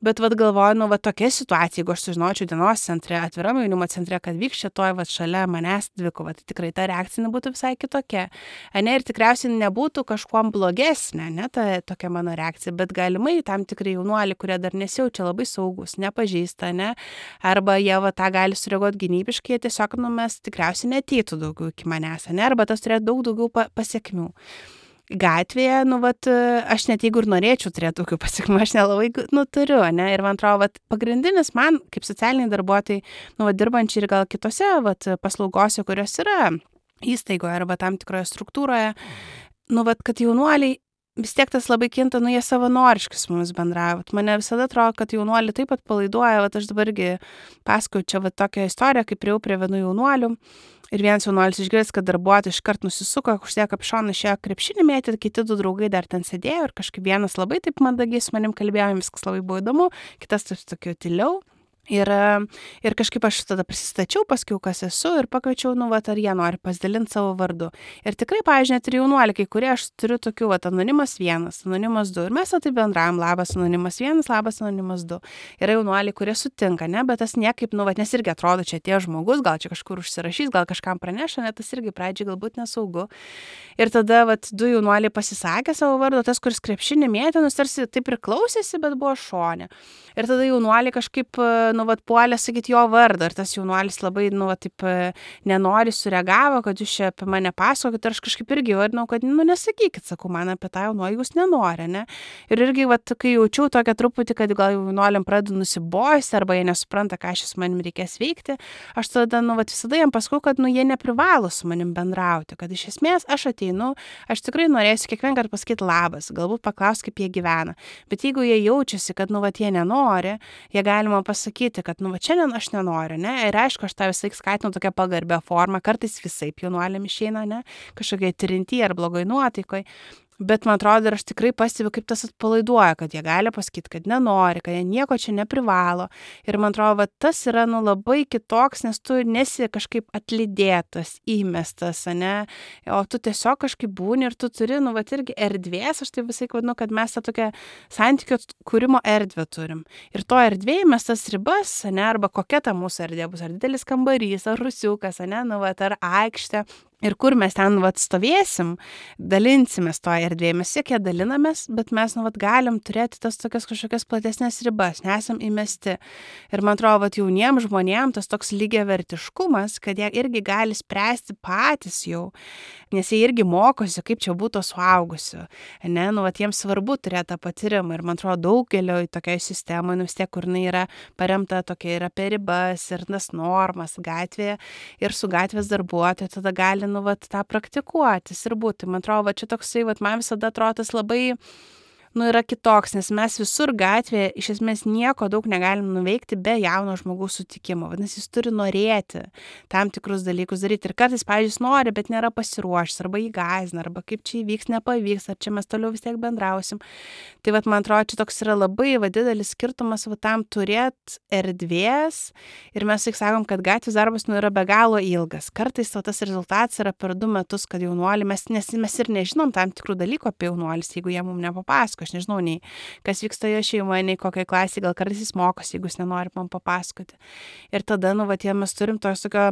Bet galvoju, tokia situacija, jeigu aš sužinočiau dienos centre, atviram jaunimo centre, kad vyks šitoj šalia manęs dvikova, tai tikrai ta reakcija būtų visai kitokia. Ne, ir tikriausiai nebūtų kažkuom blogesnė, ne, ta tokia mano reakcija, bet galimai tam tikrai jaunuoliai, kurie dar nesijaučia labai saugus, nepažįsta, ne, arba jie tą gali sureaguoti gynybiškai, tiesiog, mes tikriausiai neateitų daugiau iki manęs, ne, arba tas turėtų daug daugiau pasiekmių. Gatvėje, aš net jeigu ir norėčiau turėti tokių pasiekmių, aš nelabai, turiu, ne, ir man atrodo, pagrindinis man, kaip socialiniai darbuotojai, dirbančiai ir gal kitose, paslaugose, kurios yra įstaigoje arba tam tikroje struktūroje, kad jaunuoliai, vis tiek tas labai kinta, jie savanoriškai su mumis bendravo. Mane visada atrodo, kad jaunuoliai taip pat palaiduoja, aš dabargi pasakoju čia tokią istoriją, kaip priėjau prie vienų jaunuolių. Ir vienas jaunuolis išgirdęs, kad darbuotojai iškart nusisuko, užsidėjo kapšoną, išėjo krepšinį mėtyti, kiti du draugai dar ten sėdėjo ir kažkaip vienas labai taip mandagiai su manim kalbėjo, viskas labai buvo įdomu, kitas taip tokiu tyliau. Ir kažkaip aš tada prisistačiau, paskiau, kas esu ir pakviečiau, ar jie nori pasidalinti savo vardu. Ir tikrai, pavyzdžiui, net ir jaunuoliai, kai kurie aš turiu tokių, anonimas 1, anonimas 2. Ir mes tai bendravom, labas anonimas 1, labas anonimas 2. Yra jaunuoliai, kurie sutinka, ne, bet tas niekaip, nes irgi atrodo, čia tie žmogus, gal čia kažkur užsirašys, gal kažkam praneša, net tas irgi pradžiai galbūt nesaugu. Ir tada, 2 jaunuoliai pasisakė savo vardu, tas, kuris krepšinį mėtė, tarsi taip ir klausėsi, bet buvo šone. Ir tada jaunuoliai kažkaip, puolė sakyti jo vardą, ir tas jaunuolis labai, taip nenori sureagavo, kad jūs čia apie mane pasakokit, ir aš kažkaip irgi vardinau, kad, nesakykit, sakau, man apie tą jaunuolį jūs nenori, ne? Ir irgi, kai jaučiau tokią truputį, kad gal jaunuoliam pradedu nusibosti, arba jie nesupranta, ką šis manim reikės veikti, aš tada, visada jam pasakau, kad, jie neprivalo su manim bendrauti, kad iš esmės aš ateinu, aš tikrai norėsiu kiekvieną kartą pasakyti labas, galbūt paklausti, kaip jie gyvena. Bet jeigu jie jaučiasi, kad, jie nenori, jie galima pasakyti, kad, šiandien aš nenoriu, ne? Ir aišku, aš tą visai skatinu tokią pagarbę formą, kartais visaip jaunuoliam išeina, ne? Kažkokiai trinty ar blogoj nuotaikoj. Bet man atrodo, ir aš tikrai pastebiu, kaip tas atpalaiduoja, kad jie gali pasakyti, kad nenori, kad jie nieko čia neprivalo. Ir man atrodo, tas yra labai kitoks, nes tu nesi kažkaip atlydėtas, įmestas, ne? O tu tiesiog kažkaip būni ir tu turi, irgi erdvės, aš tai visai vadinu, kad mes tą tokią santykio kūrimo erdvę turim. Ir to erdvėje mes tas ribas, ne? Arba kokia ta mūsų erdvė bus, ar didelis kambarys, ar rusiukas, ne? Ar aikštė. Ir kur mes ten stovėsim, dalinsimės to erdvėje, mes siekia dalinamės, bet mes galim turėti tas tokias kažkokias platesnės ribas, nesam įmesti. Ir man atrodo, jauniems žmonėms tas toks lygiavertiškumas, kad jie irgi gali spręsti patys jau, nes jie irgi mokosi, kaip čia būtų suaugusiu. Ne, jiems svarbu turėti tą patyrimą. Ir man atrodo, daugelio tokiai sistemai, vis tiek, kur jinai yra paremta tokia ir apie ribas, ir tas normas gatvėje, ir su gatvės darbuotoju, tada gali tą praktikuotis ir būti. Man atrodo, čia toksai, man visada atrodo tas labai, yra kitoks, nes mes visur gatvėje iš esmės nieko daug negalim nuveikti be jauno žmogaus sutikimo. Vadinasi, jis turi norėti tam tikrus dalykus daryti. Ir kartais, pavyzdžiui, jis nori, bet nėra pasiruošęs, arba jį gąsdina, arba kaip čia įvyks, nepavyks, ar čia mes toliau vis tiek bendrausim. Tai man atrodo, čia toks yra labai didelis skirtumas tam turėti erdvės. Ir mes tik sakom, kad gatvės darbas yra be galo ilgas. Kartais tas rezultatas yra per 2 metus, kad jaunuolį, nes mes ir nežinom tam tikrų dalykų apie jaunuolis, jeigu jie mums nepapasako. Aš nežinau, nei kas vyksta jo šeimoje, nei kokiai klasėje, gal kartais jis mokosi, jeigu jis nenori man papasakoti. Ir tada, mes turim tos tokio,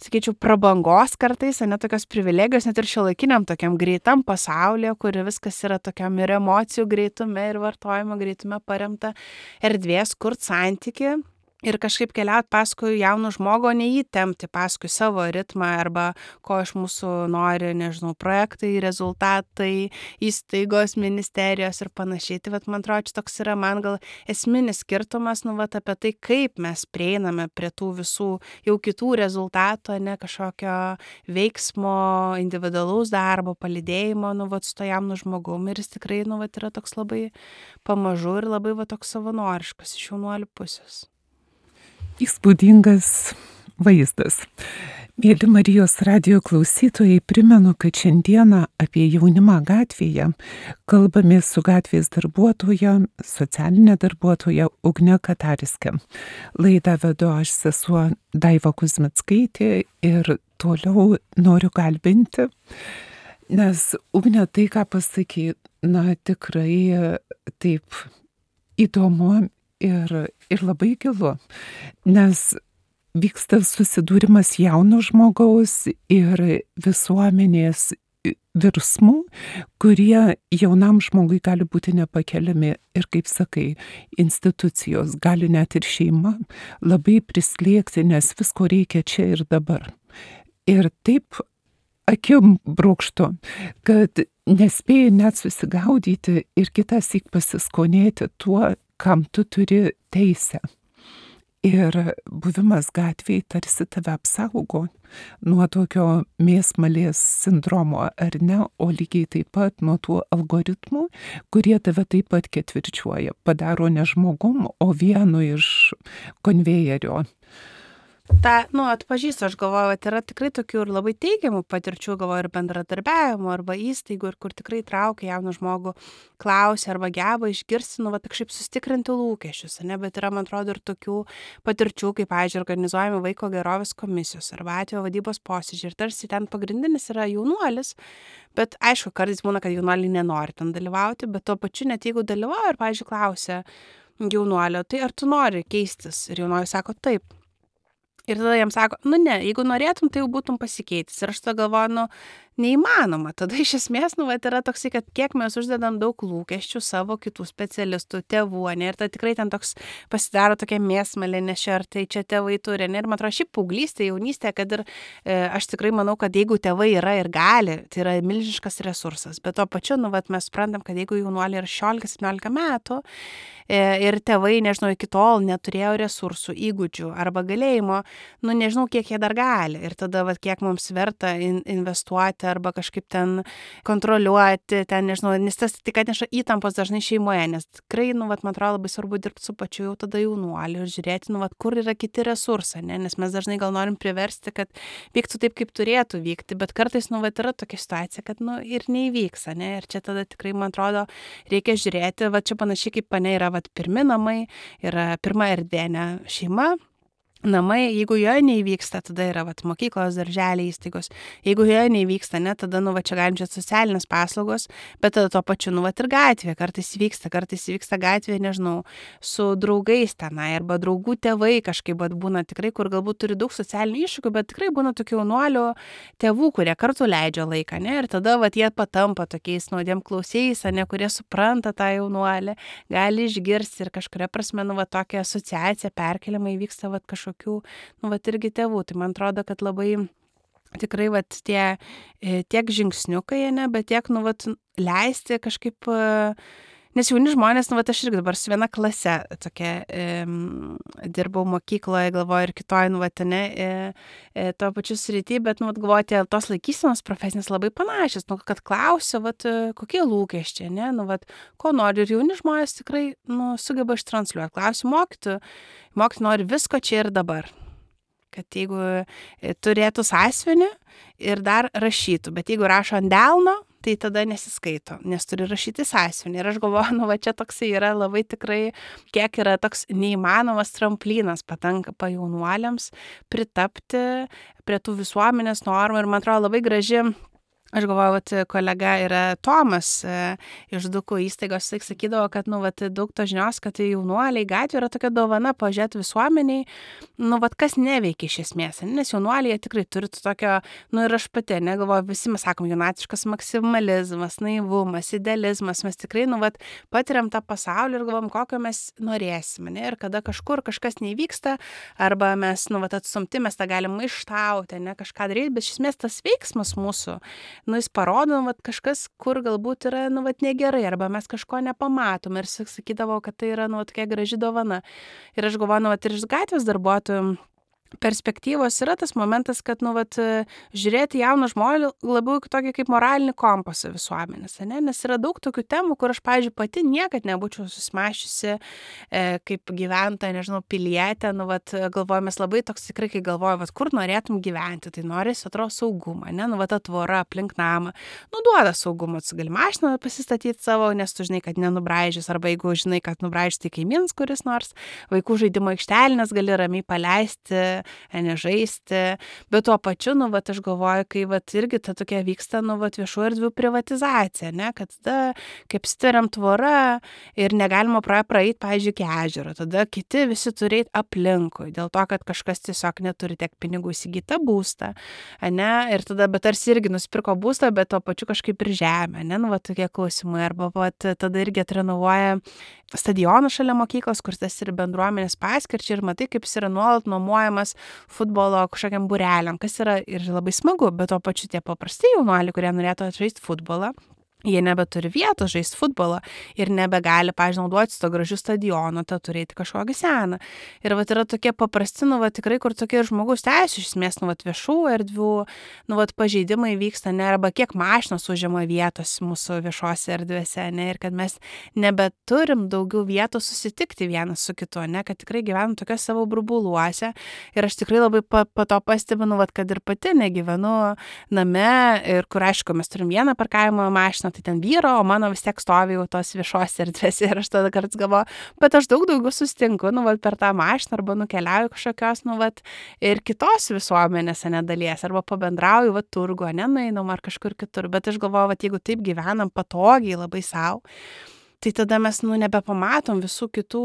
sakyčiau, prabangos kartais, ne tokios privilegijos, net ir šiuolaikiniam tokiam greitam pasaulyje, kur viskas yra tokiam ir emocijų greitume, ir vartojimo greitume paremta erdvės, kurt santykį. Ir kažkaip keliauti paskui jaunų žmogų, o neįtempti paskui savo ritmą, arba ko iš mūsų nori, nežinau, projektai, rezultatai, įstaigos, ministerijos ir panašiai. Tai man atrodo, čia toks yra man gal esminis skirtumas, apie tai, kaip mes prieiname prie tų visų jau kitų rezultatų, ne kažkokio veiksmo, individualaus darbo, palydėjimo, su to jaunu žmogumi. Ir jis tikrai, yra toks labai pamažu ir labai toks savanoriškas iš jaunuolių pusės. Įspūdingas vaizdas. Mėly Marijos radijo klausytojai, primenu, kad šiandieną apie jaunimą gatvėje kalbamės su gatvės darbuotoja, socialinė darbuotoja Ugne Katariske. Laidą vedu aš, sesuo Daiva Kuzmickaitė, ir toliau noriu kalbinti, nes Ugne tai, ką pasakė, tikrai taip įdomu ir labai gilu, nes vyksta susidūrimas jauno žmogaus ir visuomenės virsmų, kurie jaunam žmogui gali būti nepakeliami. Ir kaip sakai, institucijos, gali net ir šeima labai prislėgti, nes visko reikia čia ir dabar. Ir taip akim brūkštu, kad nespėjai net susigaudyti ir kitąsyk pasiskonėti tuo, kam tu turi teisę. Ir buvimas gatvėje tarsi tave apsaugo nuo tokio mėsmalės sindromo, ar ne, o lygiai taip pat nuo tų algoritmų, kurie tave taip pat ketvirčiuoja, padaro ne žmogum, o vienu iš konvejerio. Atpažįstu, aš galvoju, yra tikrai tokių ir labai teigiamų patirčių, galvoju, ir bendradarbiavimo, arba įstaigų, ir kur tikrai traukia jauną žmogų, klausia, arba geba išgirsti, kažkaip sustikrinti lūkesčius, ne, bet yra, man atrodo, ir tokių patirčių, kaip, pavyzdžiui, organizuojami vaiko gerovės komisijos, arba atvejo vadybos posėdžiai, ir tarsi ten pagrindinis yra jaunuolis, bet aišku, kartais būna, kad jaunuoliai nenori ten dalyvauti, bet tuo pačiu, net jeigu dalyvauja, ir, pavyzdžiui, klausia jaunuolio, tai ar tu nori keistis, ir jaunuolis sako taip. Ir tada jam sako, ne, jeigu norėtum, tai jau būtum pasikeitis. Ir aš tada galvoju, neįmanoma. Tada iš esmės, nu, vat, yra toksai, kad kiek mes uždedam daug lūkesčių savo kitų specialistų, tėvų, ne, ir tai tikrai ten toks pasidaro tokia mėsmalė, ar tai čia tėvai turi, ne, ir man atrodo, šiaip paauglystė, jaunystė, kad ir aš tikrai manau, kad jeigu tėvai yra ir gali, tai yra milžiniškas resursas, bet to pačiu, nu, vat, mes suprantam, kad jeigu jaunuoliai yra 16-17 metų, ir tėvai, nežinau, iki tol neturėjo resursų, įgūdžių arba galėjimo, nu nežinau, kiek jie dar gali. Ir tada, vat, kiek mums verta investuoti arba kažkaip ten kontroliuoti, ten, nežinau, nes tas tik atneša įtampos dažnai šeimoje, nes tikrai, nu, vat, man atrodo, labai svarbu dirbti su pačiu jau tada jaunuoliu ir žiūrėti, nu, vat, kur yra kiti resursai, ne? Nes mes dažnai gal norim priversti, kad vyktų taip, kaip turėtų vykti, bet kartais, nu, vat, yra tokia situacija, kad, nu, ir neįvyks, ne? Ir čia tada tikrai, man atrodo, reikia žiūrėti, va čia panašiai kaip pane yra vat pirmi namai, yra pirma erdvė, ne, šeima, namai, jeigu joje neįvyksta, tada yra vat mokyklos, darželiai, įstaigos. Jeigu joje neįvyksta, ne, tada, nu, va čia galim čia socialinės paslaugos, bet tada to pačiu, nu, va ir gatvė, kartais įvyksta gatvė, nežinau, su draugais tenai, arba draugų tėvai kažkaip vat būna tikrai, kur galbūt turi daug socialinių iššūkių, bet tikrai būna tokių jaunuolių tėvų, kurie kartu leidžia laiką, ne, ir tada vat jie patampa tokiais nuodėm klausėjais, ne, kurie supranta tą jaunuolį, gali išgirsti ir kažkuria prasme, nu, va tokia asociacija, perkeliama įvyksta vat kažkokių, nu, vat irgi tėvų. Tai man atrodo, kad labai tikrai, vat tie tiek žingsniukai, ne, bet tiek, nu, vat leisti kažkaip, nes jauni žmonės, nu, vat aš irgi dabar su viena klase tokia dirbau mokykloje, galvoju, ir kitoj, nu, vat, ne, to pačiu srity, bet, nu, vat galvoju, tos laikysenos profesinės labai panašios, nu, kad klausiu, vat, kokie lūkesčiai, ne, nu, vat, ko nori, ir jauni žmonės tikrai, nu, sugeba ištransliuoti. Klausiu mokytojų nori visko čia ir dabar. Kad jeigu turėtų sąsiuvinį ir dar rašytų, bet jeigu rašo ant delno, tai tada nesiskaito, nes turi rašyti sąsiuvinį. Ir aš galvoju, nu, va čia toksai yra labai tikrai, kiek yra toks neįmanomas tramplinas patanka jaunuoliams pritapti prie tų visuomenės normų. Ir man atrodo labai graži. Aš galvoju, kad kolega yra Tomas iš Dukų įstaigos, jis sakydavo, kad, nu, vat, daug to žinios, kad jaunuoliai gatvė yra tokia dovana pažiūrėti visuomeniai, nu, vat, kas neveikia iš esmės, nes jaunuoliai tikrai turi tokio, nu, ir aš pati, negalvoju, visi mes sakom, jaunatiškas maksimalizmas, naivumas, idealizmas, mes tikrai, nu, vat, patiriam tą pasaulį ir galvom, kokio mes norėsime, ne, ir kada kažkur kažkas neįvyksta, arba mes, nu, vat, atstumti, mes tą galim maištauti, ne, kažką daryti, bet iš esmės tas veiksmas mūsų, nu, jis parodo, vat, kažkas, kur galbūt yra, nu, vat, negerai, arba mes kažko nepamatom ir sakydavo, kad tai yra, nu, tokia graži dovana. Ir aš galvoju, nu, vat, ir iš gatvės darbuotojų perspektyvos yra tas momentas, kad, nu, vat, žiūrėti jauną žmogų labiau tokį kaip moralinį kompasą visuomenės, ne? Nes yra daug tokių temų, kur aš, pavyzdžiui, pati niekad nebūčiau susimašiusi kaip gyventoja, nežinau, pilietė, nu, vat, galvoju, mes labai toks tikrai, kai galvoju, vat, kur norėtum gyventi, tai norisi, atrodo, saugumą, ne, nu, vat, tvora aplink namą, nu, duoda saugumą, tu gali mašiną pasistatyti savo, nes tu žinai, kad nenubraižys, arba jeigu žinai, kad nubraižys, tai kaimynas kuris nors, vaikų žaidimo aikštelinės gali ramiai paleisti, nežaisti, bet tuo pačiu, nu, vat, aš galvoju, kai, vat, irgi ta tokia vyksta, nu, vat, viešų erdvių privatizacija, ne, kad tada, kaip stveriam tvora ir negalima praeiti, pavyzdžiui, iki ežero, tada kiti visi turi eiti aplinkui, dėl to, kad kažkas tiesiog neturi tiek pinigų įsigyti būstą, ne, ir tada, bet tarsi irgi nusipirko būstą, bet tuo pačiu kažkaip ir žemę, ne, nu, vat, tokie klausimai, arba, vat, tada irgi atrenovuoja stadioną šalia mokyklos, kur tas ir bendruomenės paskirčiai ir matai, kaip jis yra nuolat nuomojamas futbolo kažkokiam būreliam, kas yra ir labai smagu, bet tuo pačiu tie paprasti jaunuoliai, kurie norėtų žaisti futbolą, jie nebeturi vietos žaisti futbolą ir nebegali, pavyzdžiui, naudotis to gražių stadionų, tą turėti kažkokį seną. Ir vat yra tokie paprasti, nu, vat, tikrai, kur tokie žmogaus teisų, iš esmės, nu, vat, viešų erdvių, nu, vat, pažeidimai vyksta, ne, arba kiek mašinos užima vietos mūsų viešose erdvėse, ne, ir kad mes nebeturim daugiau vietos susitikti vienas su kitu, ne, kad tikrai gyvenam tokios savo burbuluose. Ir aš tikrai labai po to pastebiu, nu, vat, kad ir pati negyvenu name, ir kur, aišku, mes turim vieną parkavimo mašiną, tai ten vyro, o mano vis tiek stovi jau tos viešos erdvėse ir aš tada kartais galvoju, bet aš daug daugiau susitinku, nu, vat, per tą mašiną arba nukeliauju kažkokios, nu, vat, ir kitos visuomenės, nedalies, arba pabendrauju, vat, turgu, nenueinam ar kažkur kitur, bet aš galvoju, vat, jeigu taip gyvenam patogiai labai savo, tai tada mes, nebepamatom visų kitų,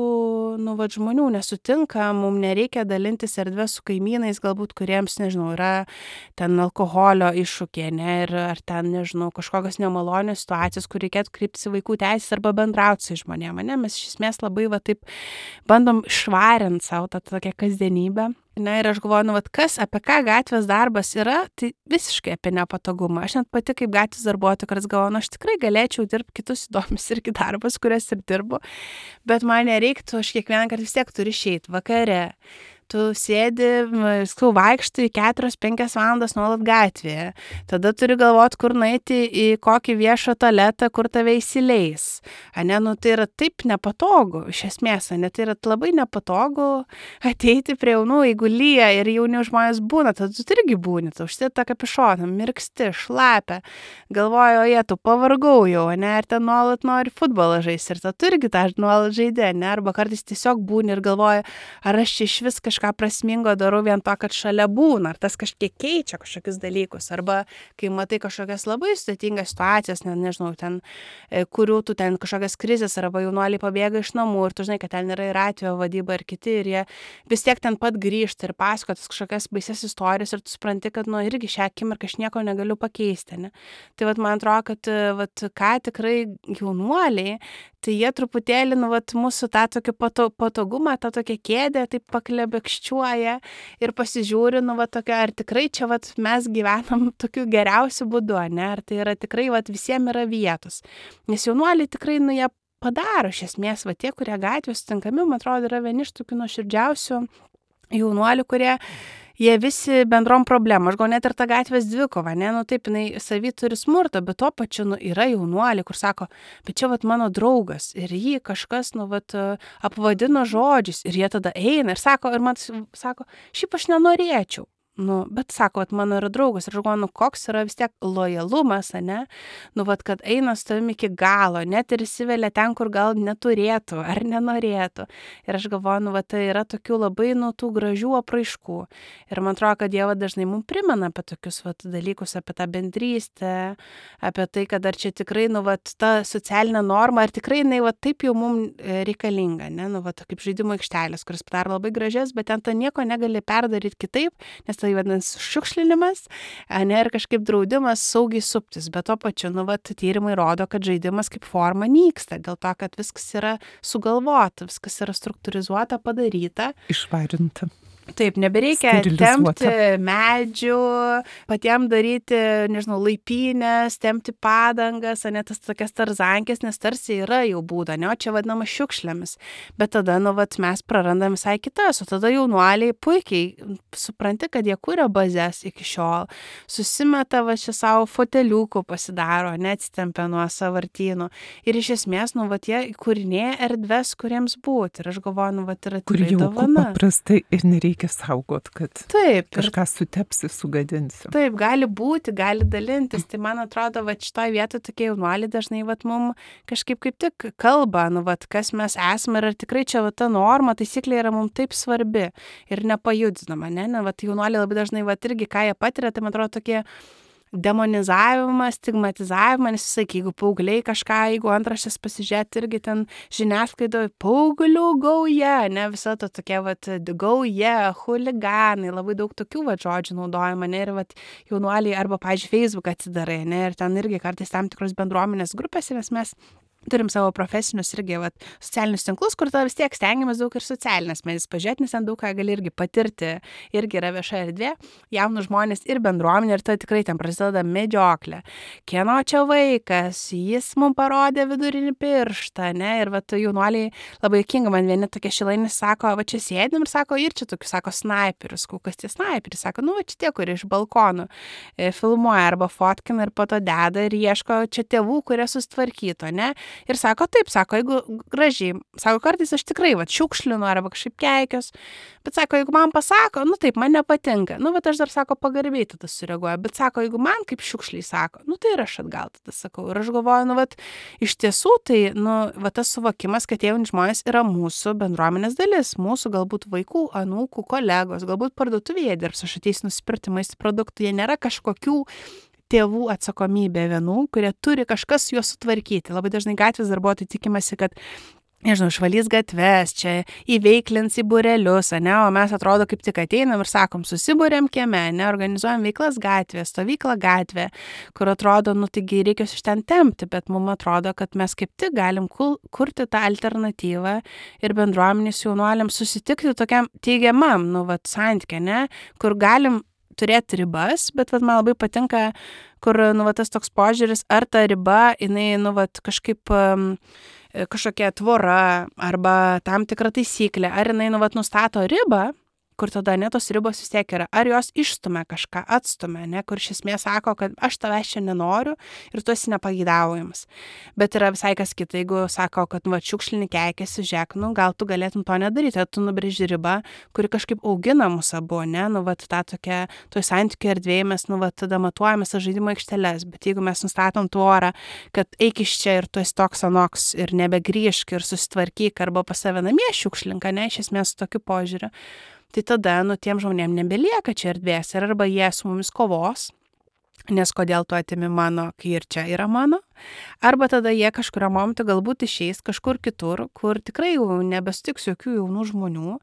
žmonių, nesutinkam, mums nereikia dalintis erdvę su kaimynais, galbūt kuriems, nežinau, yra ten alkoholio iššūkiai, ne, ir ar ten, nežinau, kažkokios nemalonios situacijos, kur reikėtų kreiptis į vaikų teisės arba bendrauti su žmonėm, ne, mes iš esmės labai taip bandom švarinti savo tą tokią kasdienybę. Na ir aš galvoju, apie ką gatvės darbas yra, tai visiškai apie nepatogumą. Aš net pati kaip gatvės darbuotoja, kuris galvoju, aš tikrai galėčiau dirbti kitus įdomius irgi darbus, kurias ir dirbu, bet man nereiktų, aš kiekvieną kartą vis tiek turiu išeiti vakare. Tu sėdi, vaikštai 4-5 valandas nuolat gatvėje. Tada turi galvoti, kur nueiti į kokį viešą tualetą, kur tave įsileis. Tai yra taip nepatogu, iš esmės, tai yra labai nepatogu ateiti prie jaunų, jeigu lyja ir jauni žmonės būna, tada tu irgi būni, tu užsidėti tą kapišoną, mirksti, šlapia, galvoju, tu pavargau jau, ir ten nuolat nori futbolą žaisti, ir tu irgi tą nuolat žaidė, arba kartais tiesiog būni ir galvoju, ar aš iš vis kažką prasmingo darau vien to, kad šalia būna, ar tas kažkiek keičia kažkokius dalykus, arba kai matai kažkokias labai sudėtingas situacijas, nežinau, ten, kurių tu ten kažkokias krizės, arba jaunuoliai pabėga iš namų ir tu žinai, kad ten yra ir atvejo vadyba ir kiti, ir jie vis tiek ten pat grįžta ir pasakotas kažkokias baises istorijas ir tu supranti, kad irgi šią akimirką aš nieko negaliu pakeisti, ne? Tai man atrodo, kad ką tikrai jaunuoliai, tai jie truputėlį, mūsų tą tokį patogumą, tą tokią kėdę, taip paklebekščiuoja ir pasižiūri, ar tikrai čia, mes gyvenam tokiu geriausiu būdu, ne, ar tai yra tikrai, visiems yra vietos. Nes jaunuoliai tikrai, jie padaro, iš esmės, tie, kurie gatvės sutinkami, man atrodo, yra vieni iš tokių nuoširdžiausių jaunuolių, kurie jie visi bendrom problemom. Aš gal net ir tą gatvės dvikovą, ne, taip, jinai savy turi smurtą, bet tuo pačiu, yra jaunuoliai, kur sako, bet čia, mano draugas, ir jį kažkas, apvadino žodžiais, ir jie tada eina ir sako, ir man sako, šiaip aš nenorėčiau. Bet sako, mano yra draugas, ir aš galvoju, koks yra vis tiek lojalumas, ne, kad eina su tavimi iki galo, net ir įsivelia ten, kur gal neturėtų ar nenorėtų. Ir aš galvoju, tai yra tokių labai, tų gražių apraiškų. Ir man atrodo, kad Dievas dažnai mums primena apie tokius, dalykus, apie tą bendrystę, apie tai, kad ar čia tikrai, ta socialinė norma, ar tikrai jinai, taip jau mums reikalinga, ne, kaip žaidimo aikštelės, kuris padaro labai gražias, bet ten nieko negali perdaryti kitaip, nes tai vadinasi šiukšlinimas, ir kažkaip draudimas saugiai suptis, bet to pačiu, tyrimai rodo, kad žaidimas kaip forma nyksta, dėl to, kad viskas yra sugalvota, viskas yra struktūrizuota, padaryta. Išvarinta. Taip, nebereikia tempti medžių, patiems daryti, nežinau, laipynės, tempti padangas, tas tokias tarzankės, nes tarsi yra jau būda, ne, o čia vadinama šiukšlėmis. Bet tada, mes prarandam visai kitas, o tada jaunuoliai puikiai supranti, kad jie kuria bazės iki šiol, susimeta čia savo foteliukų pasidaro, neatsitempia nuo sąvartynų. Ir iš esmės, jie kūrinėja erdves, kuriems būti. Ir aš galvoju, yra tikrai dovana. Kur jau paprastai ir nereikia saugot, kad taip, kažką sutepsi, sugadinsi. Taip, gali būti, gali dalintis. Tai man atrodo, šitoj vietoj tokie jaunuoliai dažnai mum kažkaip kaip tik kalba, kas mes esame ir ar tikrai čia ta norma, taisyklė yra mums taip svarbi ir nepajudinama, ne? Jaunuoliai labai dažnai irgi ką jie patiria, tai man atrodo tokie demonizavimas, stigmatizavimas, nes visai, jeigu paaugliai kažką, jeigu antraštės pasižiūrėti, irgi ten žiniasklaidoje paauglių gauja, ne, visa to tokia, gauja, chuliganai, labai daug tokių, žodžių naudojama, ne, ir, jaunuoliai, arba, pavyzdžiui, Facebook atsidarai, ne, ir ten irgi kartais tam tikros bendruomenės grupės, nes mes turim savo profesinius irgi socialinius tinklus, kur tada vis tiek stengiamės daug ir socialinės medijas pažiūrėti, nes ten daug ką gali irgi patirti, irgi yra vieša erdvė, jaunus žmonės ir bendruomenė, ir tada tikrai ten prasideda medžioklė. Kieno čia vaikas, jis mums parodė vidurinį pirštą, ne, ir jaunuoliai labai juokinga, man vieni tokie šilainės sako, čia sėdim ir sako, ir čia tokius, sako, snaiperius, kas tie snaiperiai, sako, čia tie, kurie iš balkonų filmuoja arba fotkina ir po to deda ir ieško čia tėvų, kurie susitvarkyto, ne. Ir sako, taip, sako, jeigu gražiai, sako, kartais aš tikrai, šiukšlinu arba kažkaip keikios, bet sako, jeigu man pasako, taip, man nepatinka, aš dar, sako, pagarbiai tada sureaguoju, bet sako, jeigu man kaip šiukšliai sako, tai ir aš atgal tada sakau. Ir aš galvoju, iš tiesų, tai, tas suvokimas, kad jauni žmonės yra mūsų bendruomenės dalis, mūsų galbūt vaikų, anūkų, kolegos, galbūt parduotuvėje dirbs, aš ateisiu nusipirkti maisto produktų, jie nėra kažkokių tėvų atsakomybė vienų, kurie turi kažkas juos sutvarkyti. Labai dažnai gatvės darbuotojai tikimasi, kad nežinau, išvalys gatves, čia įveiklins į būrelius, ne, o mes atrodo kaip tik ateinam ir sakom, susibūrėm kieme, ne, organizuojam veiklas gatvė, stovyklą gatvė, kur atrodo, nu taigi reikia iš ten tempti, bet mums atrodo, kad mes kaip tik galim kurti tą alternatyvą ir bendruomenės jaunuoliams susitikti tokiam teigiamam, nu, vat, santykė, ne, kur galim turėti ribas, bet vat, man labai patinka, kur, nu, vat, tas toks požiūris, ar ta riba, jinai, nu, vat, kažkaip kažkokia tvora arba tam tikra taisyklė, ar jinai, nu, vat, nustato ribą, kur tada ne tos ribos vis tiek yra, ar jos išstumia kažką, atstumia, ne, kur iš esmės sako, kad aš tavęs čia nenoriu ir tu esi nepageidaujamas. Bet yra visai kas kita, jeigu sako, kad va, šiukšlinį keikėsi, žiūrėk, nu, gal tu galėtum to nedaryti, tu nubrėži ribą, kuri kažkaip augina mus abu, ne, nu, va, tą tokia, toj santykių erdvėje mes, nu, va, tada matuojame tas žaidimo aikšteles, bet jeigu mes nustatom tvorą, kad eik iš čia ir tu esi toks anoks ir nebegrįžk ir susitvarkyk arba pas save namie šiukšlinka, ne, iš esmės su tokiu požiūriu, tai tada, nu, tiem žmonėm nebelieka čia erdvės ir arba jie su mumis kovos, nes kodėl tu atimi mano, kai ir čia yra mano, arba tada jie kažkurio momentu galbūt išeis kažkur kitur, kur tikrai jau nebestiks jokių jaunų žmonių,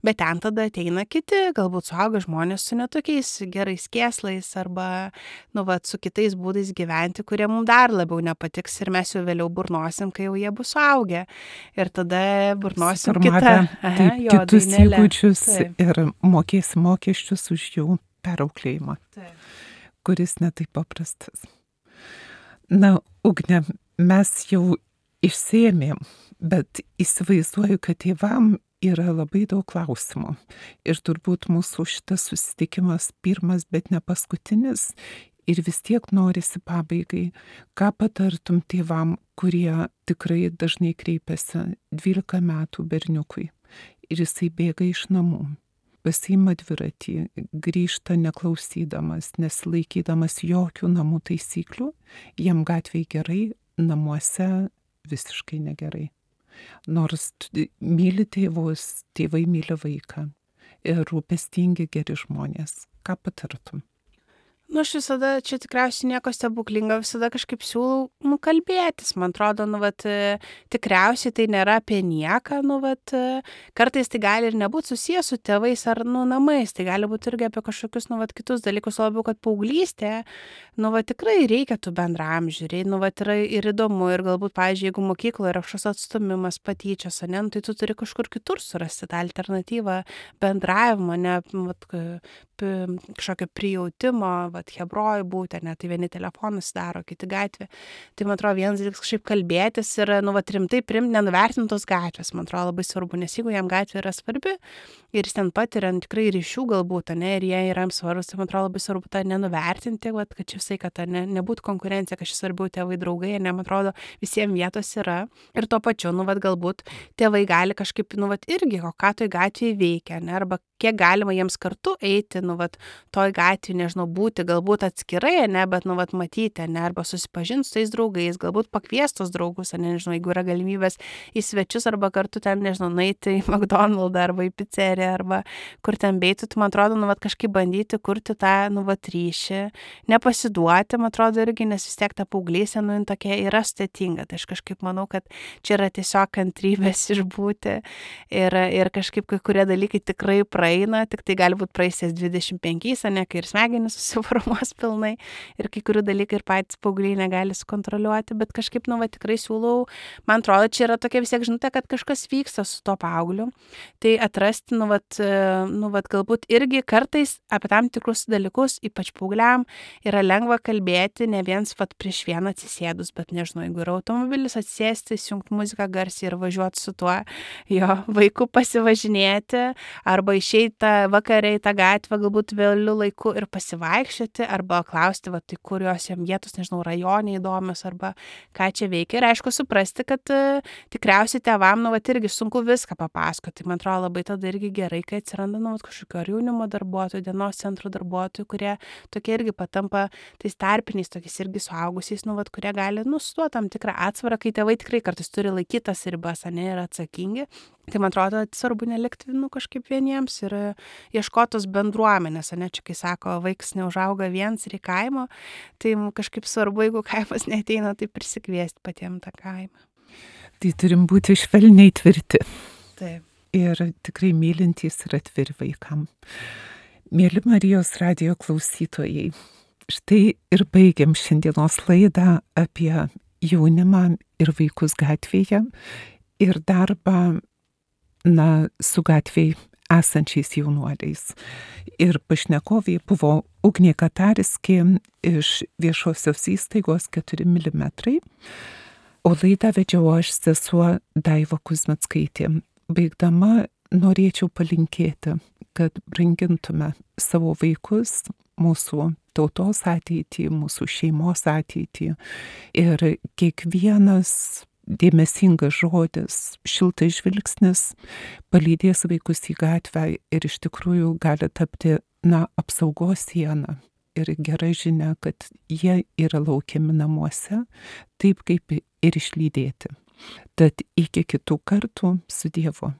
bet ten tada ateina kiti, galbūt suaugę žmonės su netokiais gerais kėslais arba, nu, vat, su kitais būdais gyventi, kurie mums dar labiau nepatiks ir mes jau vėliau burnosim, kai jau jie bus suaugę. Ir tada burnosim kitus įgūdžius ir mokėsim mokesčius už jų perauklėjimą. Taip. Kuris netaip paprastas. Na, Ugne, mes jau išsėmėm, bet įsivaizduoju, kad tėvam yra labai daug klausimų. Ir turbūt mūsų šitas susitikimas pirmas, bet ne paskutinis. Ir vis tiek norisi pabaigai, ką patartum tėvam, kurie tikrai dažnai kreipiasi 12 metų berniukui. Ir jisai bėga iš namų. Pasiima dviratį, grįžta neklausydamas, nesilaikydamas jokių namų taisyklių, jam gatvėje gerai, namuose visiškai negerai. Nors myli tėvus, tėvai myli vaiką ir rūpestingi geri žmonės. Ką patartum? Nu, aš visada, čia tikriausiai nieko stebuklingo, visada kažkaip siūlau, nu, kalbėtis, man atrodo, nu, vat, tikriausiai tai nėra apie nieką, nu, vat, kartais tai gali ir nebūti susijęs su tėvais ar, nu, namais, tai gali būti irgi apie kažkokius, nu, vat, kitus dalykus, labiau, kad paauglystė, nu, vat, tikrai reikia tų bendramžių, nu, vat, yra ir įdomu, ir galbūt, pavyzdžiui, jeigu mokykloje yra kažkoks atstumimas, patyčios, ne, nu, tai tu turi kažkur kitur surasti tą alternatyvą bendravimo, ne, vat, kažkokio prijautimo, vat, hebrojų būti, ne, tai vieni telefonus daro, kiti gatvė. Tai, man atrodo, vienas dalykas kažkaip kalbėtis ir, nu, vat, rimtai priimti, nenuvertintos gatvės, man atrodo, labai svarbu, nes jeigu jam gatvė yra svarbi ir jis ten patiria tikrai ryšių galbūt, ne, ir jie yra jam svarbus, tai, man atrodo, labai svarbu tą nenuvertinti, vat, kad čia visai, kad nebūtų konkurencija, kad šis svarbiau tėvai draugai, ne, man atrodo, visiems vietos yra. Ir tuo pačiu, nu, vat, galbūt tėvai gali kažkaip, nu, vat, irgi, o ką toj gatvėje veikia, ne, arba kiek galima jiems kartu eiti, nu, vat, toj gatvėje, nežinau, būti galbūt atskirai, ne, bet, nu, vat, matyti, ne, arba susipažinti su tais draugais, galbūt pakviestos draugus, ne, nežinau, jeigu yra galimybės į svečius, arba kartu ten, nežinau, nueiti į McDonald's arba į pizzeriją, arba kur ten beitų, tai, man atrodo, nu, vat, kažkaip bandyti kurti tą, nu, vat, ryšį, nepasiduoti, man atrodo, irgi, nes vis tiek ta paauglystė, nu, tokia yra sudėtinga, tai aš kažkaip manau, kad čia yra tiesiog kantrybės išbūti ir kažkaip kai kurie dalykai tikrai praeina, tik tai gali būti praeisės 25, ne, kai ir smegenys susiformuos pilnai ir kai kurių dalykai ir patys paaugliai negali sukontroliuoti, bet kažkaip, nu, va, tikrai siūlau, man atrodo, čia yra tokia vis tiek žinutė, kad kažkas vyksta su to paaugliu, tai atrasti, nu, vat, galbūt irgi kartais apie tam tikrus dalykus, ypač paaugliam, yra lengva kalbėti, ne viens, vat, prieš vieną atsisėdus, bet nežinau, jeigu yra automobilis, atsisėsti, įsijungti muziką garsiai ir važiuoti su tuo jo vaiku pasivažinėti, arba išeiti vakarą į tą gatvę, galbūt vėliu laiku ir pasivaikščioti, arba klausti, va, tai kurios jam vietos, nežinau, rajoniai įdomios, arba ką čia veikia. Ir aišku, suprasti, kad tikriausiai tėvam, nu, va, irgi sunku viską papasakoti. Tai, man atrodo, labai tada irgi gerai, kai atsiranda, nu, kažkokio ar jaunimo darbuotojų, dienos centrų darbuotojų, kurie tokie irgi patampa tais tarpiniais, tokiais irgi suaugusiais, nu, va, kurie gali, nu, su tuo tam tikrą atsvarą, kai tėvai tikrai kartais turi laikytas ribas, ne, ir atsakingi. Tai man atrodo, svarbu nelikti kažkaip vieniems ir ieškotos bendruomenės, ne čia, kai sako, vaikas neužauga viens ir į kaimo, tai kažkaip svarbu, jeigu kaimas neateina, tai prisikviesti patiems tą kaimą. Tai turim būti švelniai tvirti. Taip. Ir tikrai mylintys ir atviri vaikam. Mėly Marijos radijo klausytojai, štai ir baigiam šiandienos laidą apie jaunimą ir vaikus gatvėje ir darbą su gatvėje esančiais jaunuoliais. Ir pašnekovė buvo Ugnė Katariskė iš viešosios įstaigos 4 mm. O laidą vedžiau aš, sesuo Daiva Kuzmickaitė. Baigdama norėčiau palinkėti, kad brangintume savo vaikus, mūsų tautos ateitį, mūsų šeimos ateitį. Ir kiekvienas dėmesingas žodis, šiltas žvilgsnis palydės vaikus į gatvę ir iš tikrųjų gali tapti apsaugos siena ir gera žinia, kad jie yra laukiami namuose, taip kaip ir išlydėti. Tad iki kitų kartų, su Dievu.